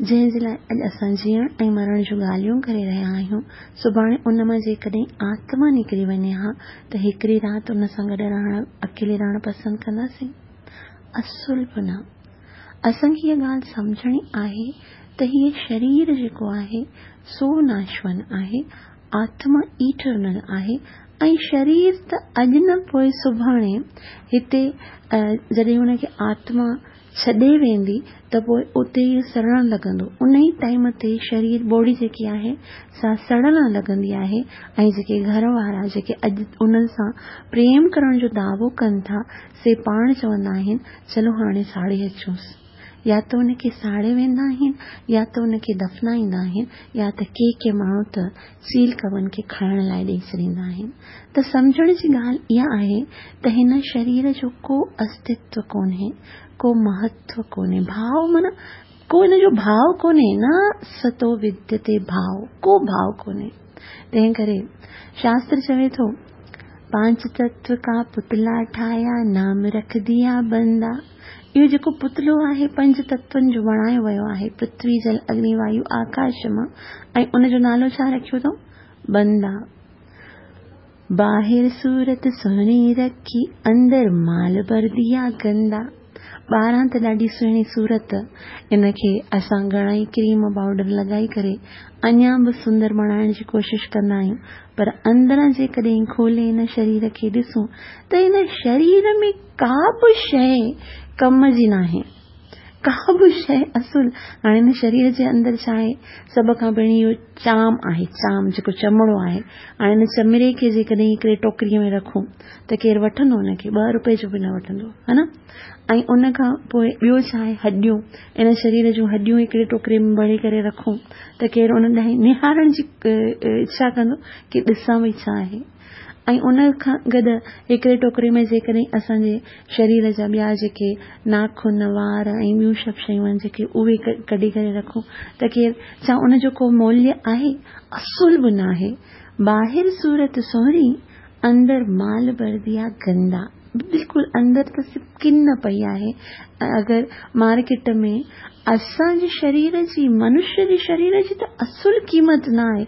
जंहिंजे लाइ अॼु असां जीअण ऐं मरण जूं ॻाल्हियूं करे रहिया आहियूं, सुभाणे उन मां जेकॾहिं आत्मा निकिरी वञे हा त हिकिड़ी राति उन सां गॾु रहण, अकेले रहणु पसंदि कंदासीं? असुल बि न। असांखे इहा ॻाल्हि सम्झणी आहे त हीअ शरीर जेको आहे सो नाशवान आहे, आत्मा इटर्नल आहे ऐं शरीर त अॼु न पोइ सुभाणे हिते जॾहिं हुनखे आत्मा छॾे वेंदी त पोइ उते ई सड़णु लॻंदो। उन ई टाइम ते शरीर बॉडी जेकी आहे सा सड़णु लॻंदी आहे ऐं जेके घर वारा जेके अॼु उन्हनि सां प्रेम करण जो दावो कनि था से पाण चवंदा आहिनि चलो हाणे साड़े अचूंसि। या त उनखे साड़े वेंदा आहिनि या त उनखे दफ़नाईंदा आहिनि या त के के माण्हू त चील कवन खे खाइण लाइ ॾेई छॾींदा आहिनि। त सम्झण जी ॻाल्हि इहा आहे त हिन शरीर जो को अस्तित्व कोन्हे, को महत्व कोन्हे, भाव माना को हिन जो भाव कोन्हे, न सतो विद्यते भाव, को भाव कोन्हे। तंहिं करे शास्त्र चवे थो, पांच तत्व का पुतला ठाहिया, नाम रख दिया बंदा। इहो जेको पुतलो आहे पंज तत्वनि जो बणायो वियो आहे, पृथ्वी, जल, अग्नि, वायु, आकाश मां, ऐं उनजो नालो छा रखियो अथऊं? बंदा। बाहिर सूरत सुहिणी रखी, अंदर माल भर दिया गंदा। ॿाहिरां त ॾाढी सुहिणी सूरत, इनखे असां घणा ई क्रीम पाउडर लॻाई करे अञा बि सुंदर बणाइण जी कोशिशि कंदा आहियूं, पर अंदरां जेकॾहिं खोले हिन शरीर खे ॾिसूं त हिन शरीर में का बि शइ कम जी नाहे, का बि शइ असुल। हाणे हिन शरीर जे अंदरि छा आहे? सभ खां पहिरीं इहो चाम आहे, चाम जेको चमड़ो आहे। हाणे हिन चमड़े खे जेकॾहिं हिकिड़े टोकरीअ में रखूं त केरु वठंदो हुनखे? ॿ रुपए जो बि न वठंदो, हा न? ऐं उन खां पोइ ॿियो छा आहे? हॾियूं। इन शरीर जूं हॾियूं हिकिड़े टोकरे में भरे करे रखूं त केरु उन ॾांहुं निहारण जी इच्छा कंदो की ॾिसां भई छा आहे? ऐं उन खां गॾु हिकिड़े टोकरे में जेकॾहिं असांजे शरीर जा ॿिया जेके नाखून, वार ऐं ॿियूं सभु शयूं आहिनि जेके उहे कढी करे रखूं त केरु छा उनजो को मूल्य आहे? असुल बि न आहे। ॿाहिरि सूरत सुहिणी, अंदरि माल भर दिया गंदा। बिल्कुलु अंदरि त सिर्फ़ किन पई आहे। अगरि मार्केट में असांजे शरीर जी, मनुष्य जे शरीर जी त असुल क़ीमत न आहे।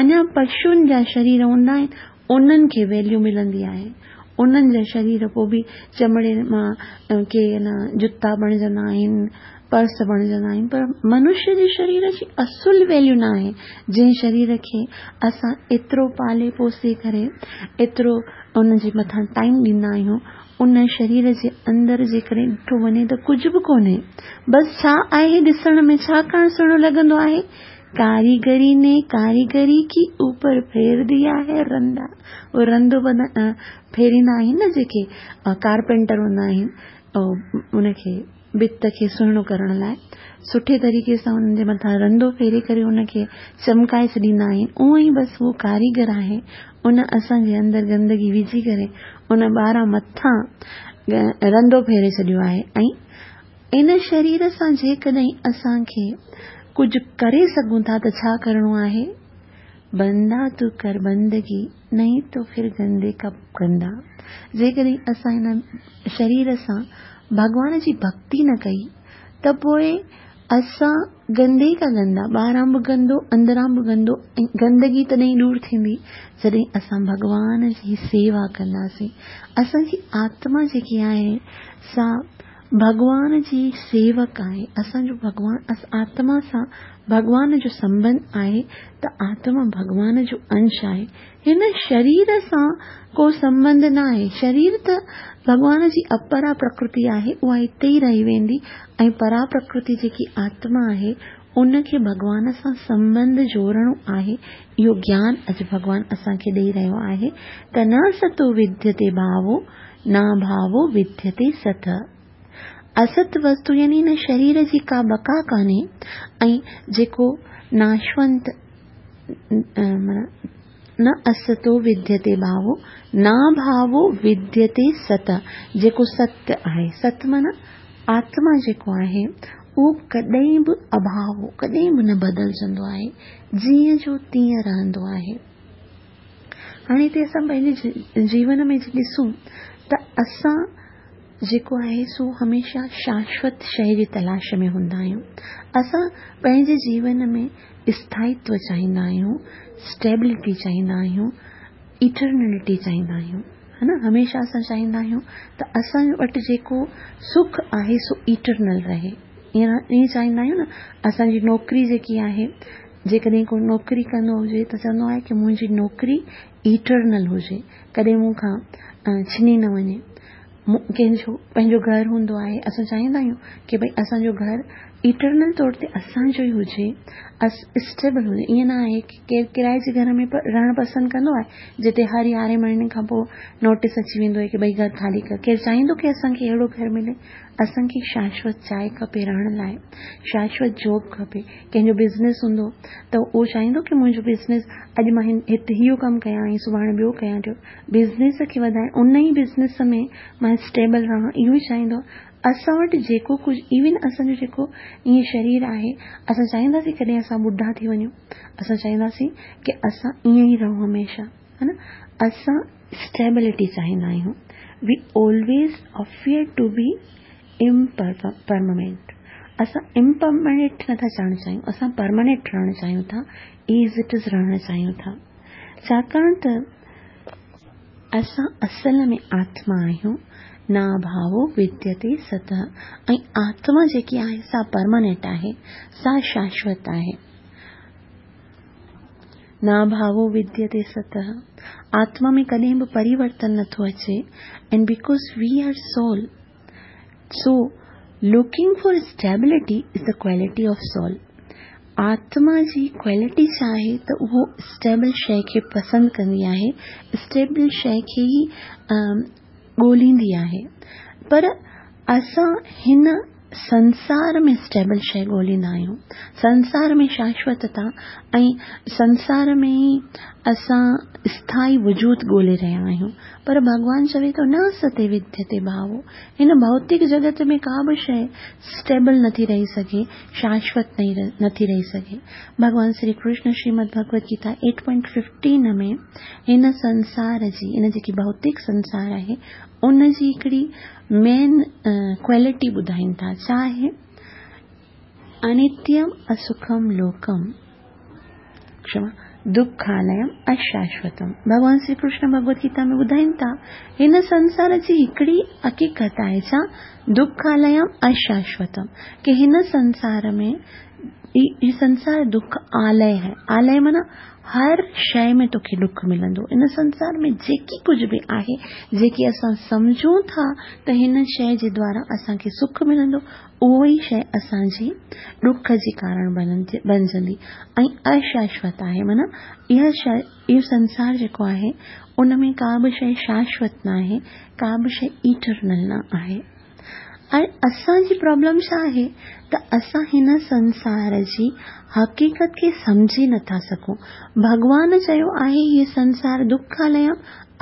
अञा पशुनि जा शरीर हूंदा आहिनि, उन्हनि खे वैल्यू मिलंदी आहे। उन्हनि जा शरीर पोइ बि चमड़े मां के न जुता बणिजंदा आहिनि, पर्स बणिजंदा आहिनि, पर मनुष्य जे शरीर जी असुल वैल्यू न आहे। जंहिं शरीर खे असां एतिरो पाले पोसे करे एतिरो उनजे मथां टाइम ॾींदा आहियूं, उन शरीर जे अंदरि जेकॾहिं ॾिठो वञे त कुझु बि कोन्हे। बसि छा आहे ॾिसण में, छा करणु सुहिणो लॻंदो आहे? कारीगरी ने कारीगरी की ऊपर फेर दिया है रंदा। उहो रंदो फेरींदा आहिनि न जेके कारपेंटर हूंदा आहिनि, उनखे भित खे सुहिणो करण लाइ सुठे तरीक़े सां उन्हनि जे मथां रंदो फेरे करे उनखे चमकाए छॾींदा आहिनि। उअं ई बसि उहो कारीगर आहे, उन असांजे अंदरि गंदगी विझी करे उन ॿाहिरां मथां रंदो फेरे छॾियो आहे। ऐं इन शरीर सां जेकॾहिं असांखे कुझु करे सघूं था त छा करिणो आहे? बंदा तू कर बंदगी, नहीं तो फिर गंदे का गंदा। जेकॾहिं असां हिन शरीर सां भॻवान जी भक्ति न कई त पोइ असां गंदे का गंदा, ॿाहिरां बि गंदो, अंदरां बि गंदो। ऐं गंदगी तॾहिं दूर थींदी जॾहिं असां भॻवान जी सेवा कंदासीं। असांजी आत्मा जेकी आहे सा भॻवान जी सेवक आहे। असांजो भॻवान, आत्मा सां भॻवान जो संबंध आहे त आत्मा भॻवान जो अंश आहे। हिन शरीर सां को संबंध न आहे। शरीर त भॻवान जी अपरा प्रकृति आहे, उहा हिते ई रही वेंदी ऐं परा प्रकृति जेकी आत्मा आहे उनखे भॻवान सां संबंध जोड़णो आहे। इहो ज्ञान अॼु भॻवान असांखे ॾेई रहियो आहे त न सतो विद्यते भावो, न भावो विद्यते सत। است وستو يعني هن شرير جي ڪا بقا ڪانهي ۽ جيڪو ناشونت معنيٰ نه استو وديتي ڀاوو ناڀاوو وديتي ست، جيڪو ست آهي، ست معنيٰ آتما جيڪو آهي اهو ڪڏهن به اڀاوو ڪڏهن به نه بدلجندو آهي، جيئن جو تيئن رهندو آهي. هاڻي هتي اسان پنهنجي جيون ۾ ڏسون ته اسان جيڪو آهي سو هميشه شاشوت شيءِ جي تلاش ۾ هوندا آهيون. اسان پنهنجي جيون ۾ اسٿائتو چاهيندا آهيون، اسٽيبلٽي چاهيندا آهيون، ايٽرنلٽي چاهيندا آهيون، ها نه. هميشه اسان چاهيندا آهيون ته اسان وٽ جيڪو سک آهي سو ايٽرنل رهي، ائين چاهيندا آهيون نه. اسان جي نوڪري جيڪي آهي، جيڪڏهن ڪو نوڪري ڪندو هجي ته چوندو آهي ڪه منهنجي نوڪري ايٽرنل هجي، ڪڏهن مون کان ڇني نه وڃي. ڪنهن جو پنهنجو گهر هوندو آهي، اسان چاهيندا آهيون ڪه ڀئي اسان جو گهر ايٽرنل طور تي اسان جو ئي هجي، اسٽيبل هجي. ائين نه آهي ڪه ڪير ڪرائي جي گهر ۾ رهڻ پسند ڪندو آهي جتي هر يارهين مهيني کان پوءِ نوٽيس اچي ويندو آهي ڪه ڀئي گهر خالي ڪر. ڪير چاهيندو ڪه اسان کي اهڙو گهر ملي؟ اسان کي شاشوت جاءِ کپي رهڻ لاءِ، شاشوت جاب کپي. ڪنهن جو بزنس هوندو ته اهو چاهيندو ڪه منهنجو بزنس اڄ مان هتي اهو ڪم ڪيان ۽ سڀاڻي ٻيو ڪيان ٿو، بزنس کي وڌائي ان ئي بزنس ۾ مان اسٽيبل رهان، اهو ئي چاهيندو. اسان وٽ جيڪو ڪجهه ايون اسان جو جيڪو ائين شرير آهي، اسان چاهينداسين ڪڏهن اسان ٻڍا ٿي وڃون، اسان چاهينداسين ڪه اسان ائين ئي رهون هميشه، ها نه. اسان اسٽيبلٽي چاهيندا آهيون. We always afraid to be impermanent. اسان امپرمننٽ نٿا چاهڻ چاهيون، اسان پرماننٽ رهڻ چاهيون ٿا، ايز it is رهڻ چاهيون ٿا، ڇاڪاڻ ته اسان اصل ۾ آتما آهيون. ناڀاوو وديتي ست، ۽ آتما جيڪي آهي سا پرماننٽ آهي، سا شاشوت آهي. ناڀاوو وديتي ست، آتما ۾ ڪڏهن به پريورتن نٿو اچي. And because we are soul, so looking for stability is the quality of soul. آتما جي ڪوالٽي ڇا آهي ته اهو اسٽيبل شيءِ کي پسند ڪندي آهي، اسٽيبل شيءِ کي ئي ڳولهيندي آهي. پر اسان هن سنسار ۾ اسٽيبل شيءِ ڳولهيندا آهيون، سنسار ۾ شاشوتتا ۽ سنسار ۾ ئي اسان اسٿائي وجود ڳولهي رهيا آهيون. پر ڀڳوان چوي ٿو نه ستي وديتي ڀاوو، هن ڀوتڪ جڳت ۾ ڪا به شيءِ اسٽيبل نٿي رهي سگهي، شاشوت نٿي رهي سگهي. ڀڳوان Shri Krishna Shrimad Bhagwat Gita eight point fifteen ۾ هن سنسار جي، هن جيڪي ڀوتڪ سنسار آهي ان جي هڪڙي مين ڪوالٽي ٻڌائين ٿا. ڇا آهي؟ انتيم اسکم لوڪم ڪشما دکاليم اشاشوتم. ڀڳوان شري ڪرشن ڀڳوت گيتا ۾ ٻڌائين ٿا هن سنسار جي هڪڙي حقيقت آهي، ڇا؟ دکاليم اشاشوتم، ڪه هن سنسار ۾ هي سنسار دک آلي آهي. آلي معنيٰ هر شيءِ ۾ توکي ڏک ملندو. ان سنسار ۾ جيڪي ڪجهه به آهي، جيڪي اسان سمجهون ٿا ته هن شيءِ جي دوارا اسان کي سک ملندو، اهو ئي شيءِ اسان جي ڏک جي ڪارڻ بڻجندي ۽ اشاشوت آهي. معنيٰ اها شيءِ، اهو سنسار جيڪو آهي ان ۾ ڪا به شيءِ شاشوت نه آهي، ڪا به شيءِ ايٽرنل نه آهي. ۽ اسان جي پرابلم ڇا آهي ته اسان هن سنسار جي حقيقت کي سمجهي نٿا سگهون. ڀڳوان چيو آهي هيءَ سنسار دکاليم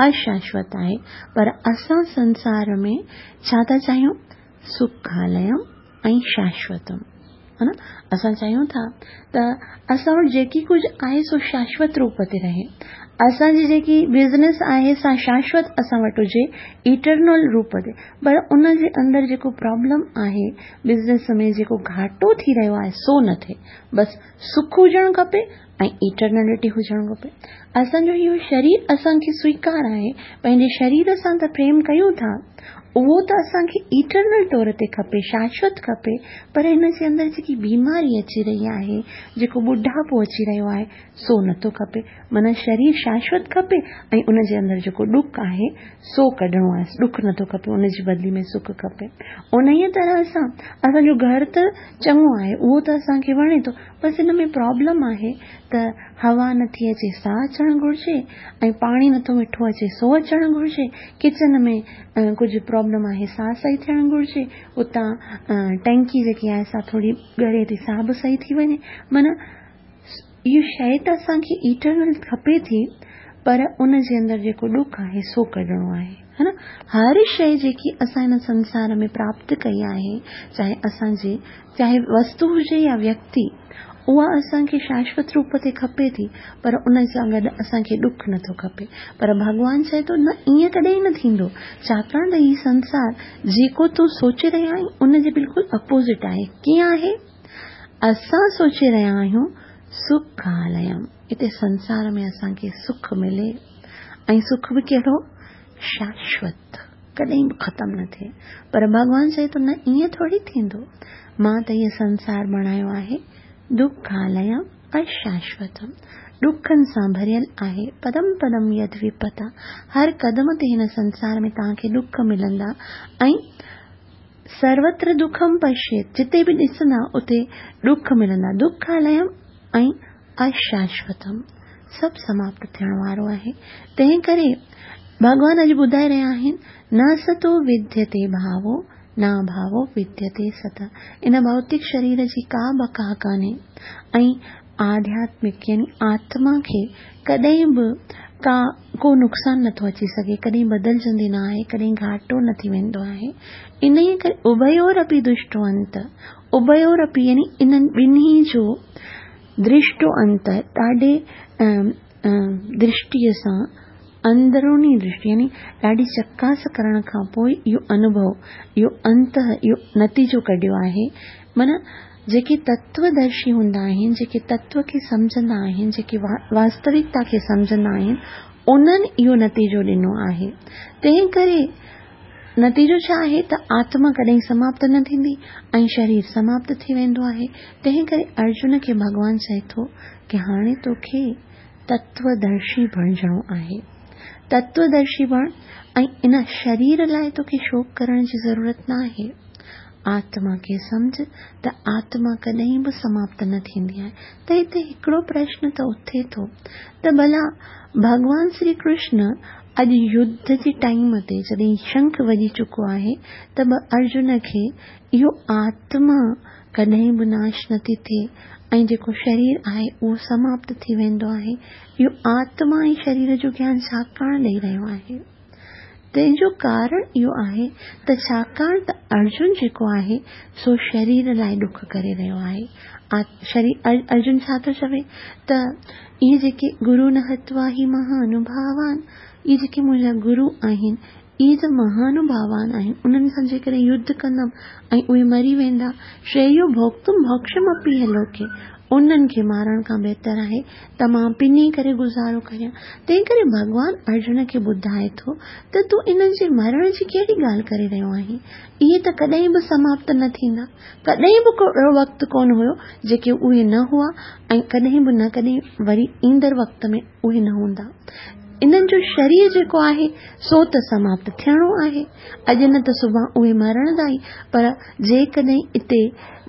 اشاشوت آهي، پر اسان سنسار ۾ ڇا ٿا چاهيون؟ سکاليم ۽ شاشوتم، ها نه. اسان چاهيون ٿا ته اسان وٽ جيڪي ڪجهه آهي سو شاشوت روپ تي رهي، اسان جي جيڪي بزنس آهي سا شاشوت اسان وٽ هجي، ايٽرنل روپ تي. پر ان جي اندر جيڪو پرابلم آهي، بزنس ۾ جيڪو گهاٽو ٿي رهيو آهي سو نه ٿئي، بس سک هجڻ کپي ۽ ايٽرنلٽي هجڻ کپي. اسان جو اهو شرير اسان کي سويڪار آهي، پنهنجي شرير سان ته پريم ڪيون ٿا، اهو ته اسان کي ايٽرنل طور تي کپي، شاشوت کپي. پر هن جي اندر جيڪي بيماري اچي رهي آهي، جيڪو ٻڍاپو اچي رهيو آهي، سو نٿو کپي. معنيٰ شرير شاشوت کپي ۽ ان جي اندر جيڪو ڏک آهي سو ڪڍڻو آهي، ڏک نٿو کپي، ان جي بدلي ۾ سک کپي. ان ئي طرح سان اسان جو گهر ته چڱو آهي، اهو ته اسان کي وڻي ٿو، بس هن ۾ پرابلم آهي ته هوا نٿي اچي سا اچڻ گهرجي، ۽ پاڻي نٿو مٺو اچي سو اچڻ گهرجي، ڪچن ۾ ڪجهه پرابلم پرابلم آهي سا صحيح ٿيڻ گهرجي، اتان ٽينڪي جيڪي آهي سا ٿوري ڳري ٿي سا به صحيح ٿي وڃي. معنيٰ اهو شيءِ ته اسان کي ايٽرنل کپي ٿي، پر ان جي اندر جيڪو ڏک آهي سو ڪڍڻو آهي، ها نه. هر شيءِ جيڪي اسان هن سنسار ۾ پراپت ڪئي آهي، چاهي اسان جي چاهي وستو هجي يا ويڪتي، اها اسان کي شاشوت روپ تي کپي ٿي، پر ان سان گڏ اسان کي ڏک نٿو کپي. پر ڀڳوان چئي ٿو نه، ائين ڪڏهن نه ٿيندو، ڇاڪاڻ ته هي سنسار جيڪو تون سوچي رهيا آهين ان جي بلڪل اپوزٽ آهي. ڪيئن آهي؟ اسان سوچي رهيا آهيون سکاليم، هتي سنسار ۾ اسان کي سک ملي، ۽ سک به ڪهڙو؟ شاشوت، ڪڏهن به ختم نه ٿئي. پر ڀڳوان چئي ٿو نه، ائين ٿوري ٿيندو، مان ته هيءَ سنسار بڻايو آهي دکاليم اشاشوتم، ڏکن سان ڀريل آهي. پدم پدم يد وپتا، هر قدم تي هن سنسار ۾ توهان کي ڏک ملندا. ۽ سروتر دکم پشيت، جتي به ڏسندا اتي ڏک ملندا. دکاليم ۽ اشاشوتم، سڀ سماپت ٿيڻ وارو آهي. تنهن ڪري ڀڳوان اڄ ٻڌائي رهيا آهن، نه ستو وديتي ڀاوو نه ڀاوو وديتي ست. ان ڀوتڪ شرير جي ڪا بقا ڪانهي ۽ آڌياتمڪ يعني آتما کي ڪڏهن به ڪا ڪو نقصان نٿو اچي سگهي، ڪڏهن بدلجندي نه آهي، ڪڏهن گهاٽو نه ٿي ويندو آهي. ان ئي ڪري اڀيورپي دشٽو انت، اڀيورپي يعني انهن ٻنهي جو درشٽو انت ڏاڍي درشٽيءَ سان، اندروني درشٽي يعني ڏاڍي چڪاس ڪرڻ کان پوءِ اهو انڀو، اهو انت، اهو نتيجو ڪڍيو آهي. معنيٰ جيڪي تتودرشي هوندا آهن، جيڪي تتو کي سمجهندا آهن، جيڪي واستوڪتا کي سمجهندا آهن، انهن اهو نتيجو ڏنو آهي. تنهن ڪري نتيجو ڇا آهي ته آتما ڪڏهن سماپت نه ٿيندي ۽ شرير سماپت ٿي ويندو آهي. تنهن ڪري ارجن کي ڀڳوان چئي ٿو ڪه هاڻي توکي تتودرشي بڻجڻو آهي. تتودرشي بڻ ۽ ان شرير لاءِ توکي شوڪ ڪرڻ جي ضرورت نه آهي. آتما کي سمجهه ته آتما ڪڏهن به سماپت نه ٿيندي آهي. ته هتي هڪڙو پرشن ته اٿي ٿو ته ڀلا ڀڳوان شري ڪرشن اڄ يڌ جي ٽائيم تي جڏهن شنک وڄي چڪو آهي ته به ارجن کي اهو آتما ڪڏهن به ناش نٿي ٿئي ۽ جيڪو شرير آهي اهو سماپت ٿي ويندو آهي، اهو آتما ۽ شرير جو گيان ڇاڪاڻ ڏيئي رهيو آهي؟ تنهن جو ڪارڻ اهو آهي ته ڇاڪاڻ ته ارجن جيڪو آهي سو شرير لاءِ ڏک ڪري رهيو آهي. شرير ارجن ڇا ٿو چوي ته اهي جيڪي گرو نه هتوا هي مهانڀاوان، اهي جيڪي منهنجا گرو آهن اهي ته مهانڀاوان آهن، انهن سان جيڪڏهن يڌ ڪندم ۽ اهي مري ويندا، شريو ڀوڪتم ڀوڪشم اپي لوڪي، انهن کي مارڻ کان بهتر آهي ته مان پني ڪري گذارو ڪريان. تنهن ڪري ڀڳوان ارجن کي ٻڌائي ٿو ته تون انهن جي مرڻ جي ڪهڙي ڳالهه ڪري رهيو آهين؟ اهي ته ڪڏهن به سماپت نه ٿيندا. ڪڏهن به ڪو اهڙو وقت ڪونه هيو جيڪي اهي نه هئا ۽ ڪڏهن به نه ڪڏهن وري ايندڙ وقت ۾ اهي نه هوندا. انهن جو شرير جيڪو آهي سو ته سماپت ٿيڻو آهي، اڄ نه ته سڀاڻي اهي مرڻندا ئي. پر جيڪڏهن هتي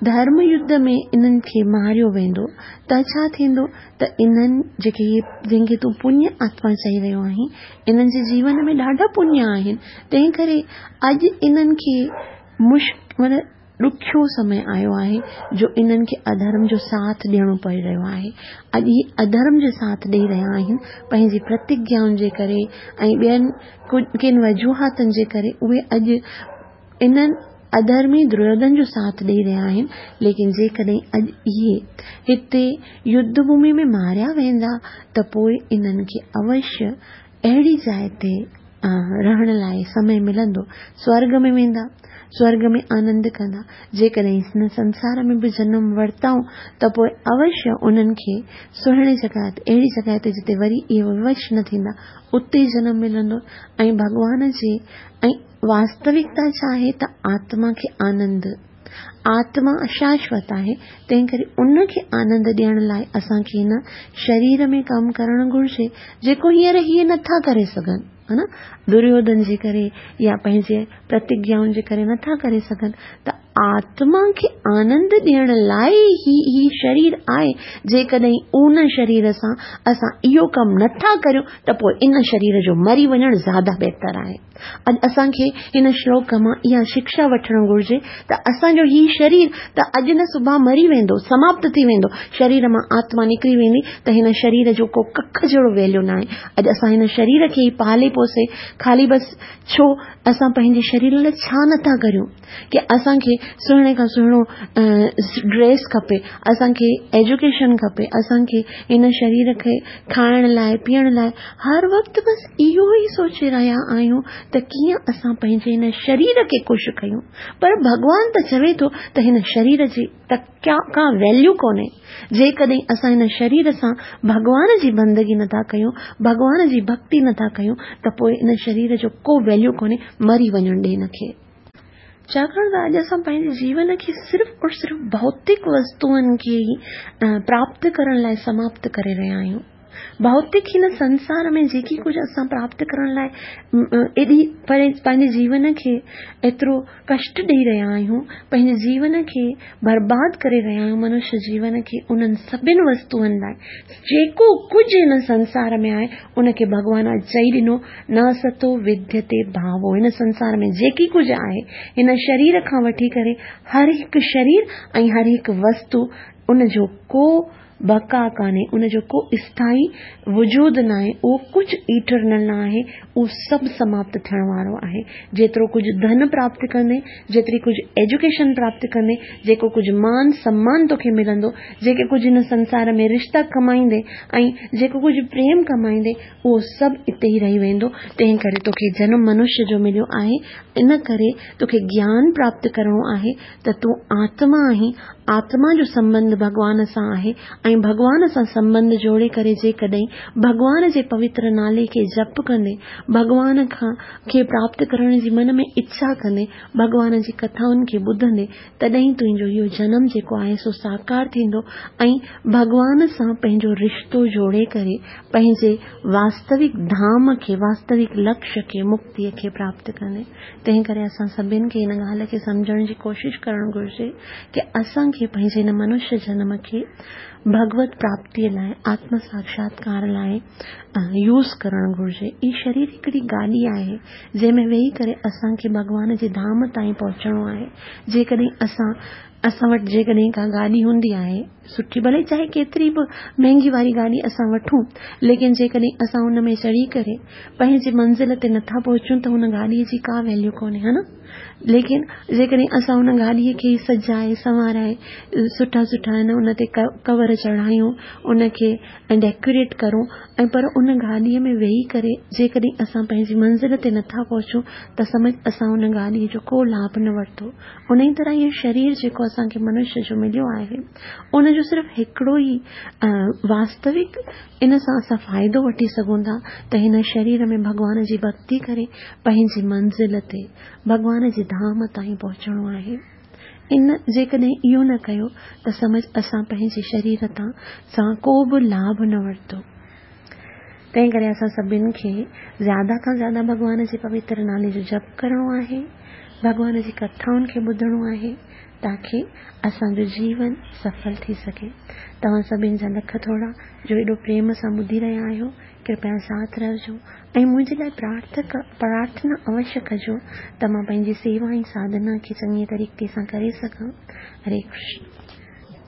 ڌرم يڌ ۾ انهن کي ماريو ويندو ته ڇا ٿيندو ته انهن جيڪي اهي جنهن کي تون پڃ آتما چئي رهيو آهين، انهن جي جيون ۾ ڏاڍا پڃ آهن، تنهن ڪري اڄ انهن کي مشڪ معنيٰ ڏکيو سمي آيو آهي جو انهن کي اڌرم جو ساٿ ڏيڻو پئي رهيو آهي. اڄ هي اڌرم جو ساٿ ڏيئي رهيا آهن پنهنجي پرتگيائن جي ڪري ۽ ٻين ڪن وجوهاتن جي ڪري اهي اڄ انهن اڌرمي دريوڌن جو ساٿ ڏيئي رهيا آهن. ليڪن جيڪڏهن اڄ اهي هتي يڌ ڀومي ۾ ماريا ويندا ته پوءِ انهن کي اوشيه اهڙي جاءِ تي رهڻ لاءِ سمي ملندو، سورڳ ۾ ويندا، سورڳ ۾ آنند ڪندا. جيڪڏهن هن سنسار ۾ به جنم ورتائون ته پوءِ اوشيه انهن کي سهڻي جڳهه تي، اهڙي جڳهه تي جتي وري اهي ووش نه ٿيندا، اتي جنم ملندو. ۽ ڀڳوان جي ۽ واستوڪتا ڇا آهي ته آتما کي آنند، آتما شاشوت آهي، تنهن ڪري ان کي آنند ڏيڻ لاءِ اسان کي هن شرير ۾ ڪم ڪرڻ گهرجي، جيڪو هينئر هيءَ نٿا ڪري سگهن، ها نه، دريوڌن جي ڪري يا پنهنجي پرتگيائن جي ڪري نٿا ڪري سگهن. ته آتما کي آنند ڏيڻ لاءِ ئي هي شرير آهي. جيڪڏهن ان شرير سان اسان اهو ڪم نٿا ڪريون ته پوءِ ان شرير جو مري وڃڻ زياده بهتر آهي. اڄ اسان کي هن شلوڪ مان اها شڪشا وٺڻ گهرجي ته اسان جو هي شرير ته اڄ نه سڀاڻي مري ويندو، سماپت ٿي ويندو، شرير مان آتما نڪري ويندي ته هن شرير جو ڪو ڪک جهڙو ويليو نه آهي. اڄ اسان هن شرير کي ئي پالي پوسي خالي بس ڇو اسان پنهنجي شرير لاءِ ڇا نٿا ڪريون ڪه اسان کي سهڻي کان سهڻو ڊريس کپي، اسان کي ايجوڪيشن کپي، اسان کي هن شرير کي کائڻ لاءِ پيئڻ لاءِ هر وقت بس اهو ئي سوچي رهيا آهيون ته ڪيئن اسان پنهنجي هن شرير کي خوش ڪيون. پر ڀڳوان ته چوي ٿو ته هن شرير جي ته ڪا ويليو ڪونهي. جيڪڏهن اسان هن شرير سان ڀڳوان جي بندگي نٿا ڪيون، ڀڳوان جي ڀڪتي نٿا ڪيون ته پوءِ هن شرير جو ڪو ويليو ڪونهي، مري وڃڻ ڏي هن کي. ڇاڪاڻ ته اڄ اسان پنهنجي جيون کي صرف اور صرف ڀوتڪ وستوئن کي ئي پراپت ڪرڻ لاءِ سماپت ڪري رهيا آهيون. ڀوتڪ هن سنسار ۾ جيڪي ڪجهه اسان پراپت ڪرڻ لاءِ ايڏي پنهنجي جيون کي ايترو ڪشٽ ڏيئي رهيا آهيون، پنهنجي جيون کي برباد ڪري رهيا آهيون، منشيه جيون کي انهن سڀني وستوئن لاءِ جيڪو ڪجهه هن سنسار ۾ آهي ان کي ڀڳوان اڄ چئي ڏنو، نه ستو وديتي ڀاوو. هن سنسار ۾ جيڪي ڪجهه آهي هن شرير کان وٺي ڪري هر هڪ شرير ۽ هر هڪ وستو ان جو ڪو بقا ڪانهي، ان جو ڪو اسٿائي وجود نه آهي، اهو ڪجهه ايٽرنل نه آهي، اهو سڀ سماپت ٿيڻ وارو آهي. جيترو ڪجهه ڌن پراپت ڪندي، جيتري ڪجهه ايجوڪيشن پراپت ڪندي، جيڪو ڪجهه مان سمان توکي ملندو، جيڪي ڪجهه هن سنسار ۾ رشتا ڪمائيندي ۽ جيڪو ڪجهه پريم ڪمائيندي اهو سڀ اتي ئي رهي ويندو. تنهن ڪري توکي جنم منشيه جو مليو آهي، ان ڪري توکي گيان پراپت ڪرڻو آهي ته تون آتما آهين، آتما جو سنٻنڌ ڀڳوان سان آهي ۽ ڀڳوان سان سنٻنڌ جوڙي ڪري جيڪڏهن ڀڳوان جي پوتر نالي کي جپ ڪندي، ڀڳوان کان کي پراپت ڪرڻ جي من ۾ اڇا ڪندي، ڀڳوان جي ڪٿائن کي ٻڌندي، تڏهن تنهنجو اهو جنم جيڪو آهي سو ساڪار ٿيندو ۽ ڀڳوان سان پنهنجو رشتو جوڙي ڪري پنهنجي واستوڪ ڌام کي، واستوڪ لڪشيه کي، مڪتيءَ کي پراپت ڪندي. تنهن ڪري اسان سڀني کي هن ڳالهه کي سمجهڻ جي ڪوشش ڪرڻ گهرجي ڪه اسان کي پنهنجي هن منشيه جنم کي ڀڳوت پراپتيءَ لاءِ، آتم ساڪشاتڪار لاءِ يوز ڪرڻ گهرجي. هي شرير هڪڙي گاڏي آهي جنهن ۾ ويهي ڪري اسان کي ڀڳوان جي ڌام تائين پهچڻو آهي. جيڪڏهن اسان اسان وٽ جيڪڏهن ڪا گاڏي هوندي آهي سٺي، ڀلي چاهي ڪيتري به مهانگي واري گاڏي اسان وٺون، ليڪن جيڪڏهن اسان هن ۾ چڙهي ڪري پنهنجي منزل تي نٿا پهچون ته هن گاڏيءَ جي ڪا ويليو ڪونهي، ها نه؟ ليڪن جيڪڏهن اسان هن گاڏيءَ کي سجائي سنوارائي سٺا سٺا آهن ان تي ڪور چڙهايون، ان کي ڊيڪوريٽ ڪرون ۽ پر ان گاڏيءَ ۾ ويهي ڪري جيڪڏهن اسان پنهنجي منزل تي نٿا پهچون ته سمجهه اسان ان گاڏيءَ جو ڪو لاڀ نه ورتو. ان ئي طرح اهو شرير جيڪو اسان کي منشيه جو مليو آهي ان جو صرف هڪڙو ئي واستوڪ ان سان اسان فائدو وٺي سگهون ٿا ته هن شرير ۾ ڀڳوان جي ڀڪتي ڪري پنهنجي منزل تي ڀڳوان جي ڌام تائين پهچڻو آهي. ان جيڪڏهن اهو نه ڪيو ته سمجهه اسان پنهنجي شرير تان سان ڪو به لاڀ نه ورتو. تنهن ڪري اسان سڀني کي زياده کان زياده ڀڳوان جي پوتر نالي جو جپ ڪرڻو آهي، ڀڳوان جي ڪٿائن کي ٻڌڻو آهي تاڪه اسان جو جيون سڦل ٿي سگهي. توهان سڀني جا لک ٿورا جو ايڏو پريم سان ٻڌي رهيا آهيو. ڪرپيا ساٿ رهجو ۽ منهنجي لاءِ پرارٿنا اوشيه ڪجو ته مان پنهنجي سيوا ۽ ساڌنا کي چڱي طريقي سان ڪري سگهان. هري ڪرشن.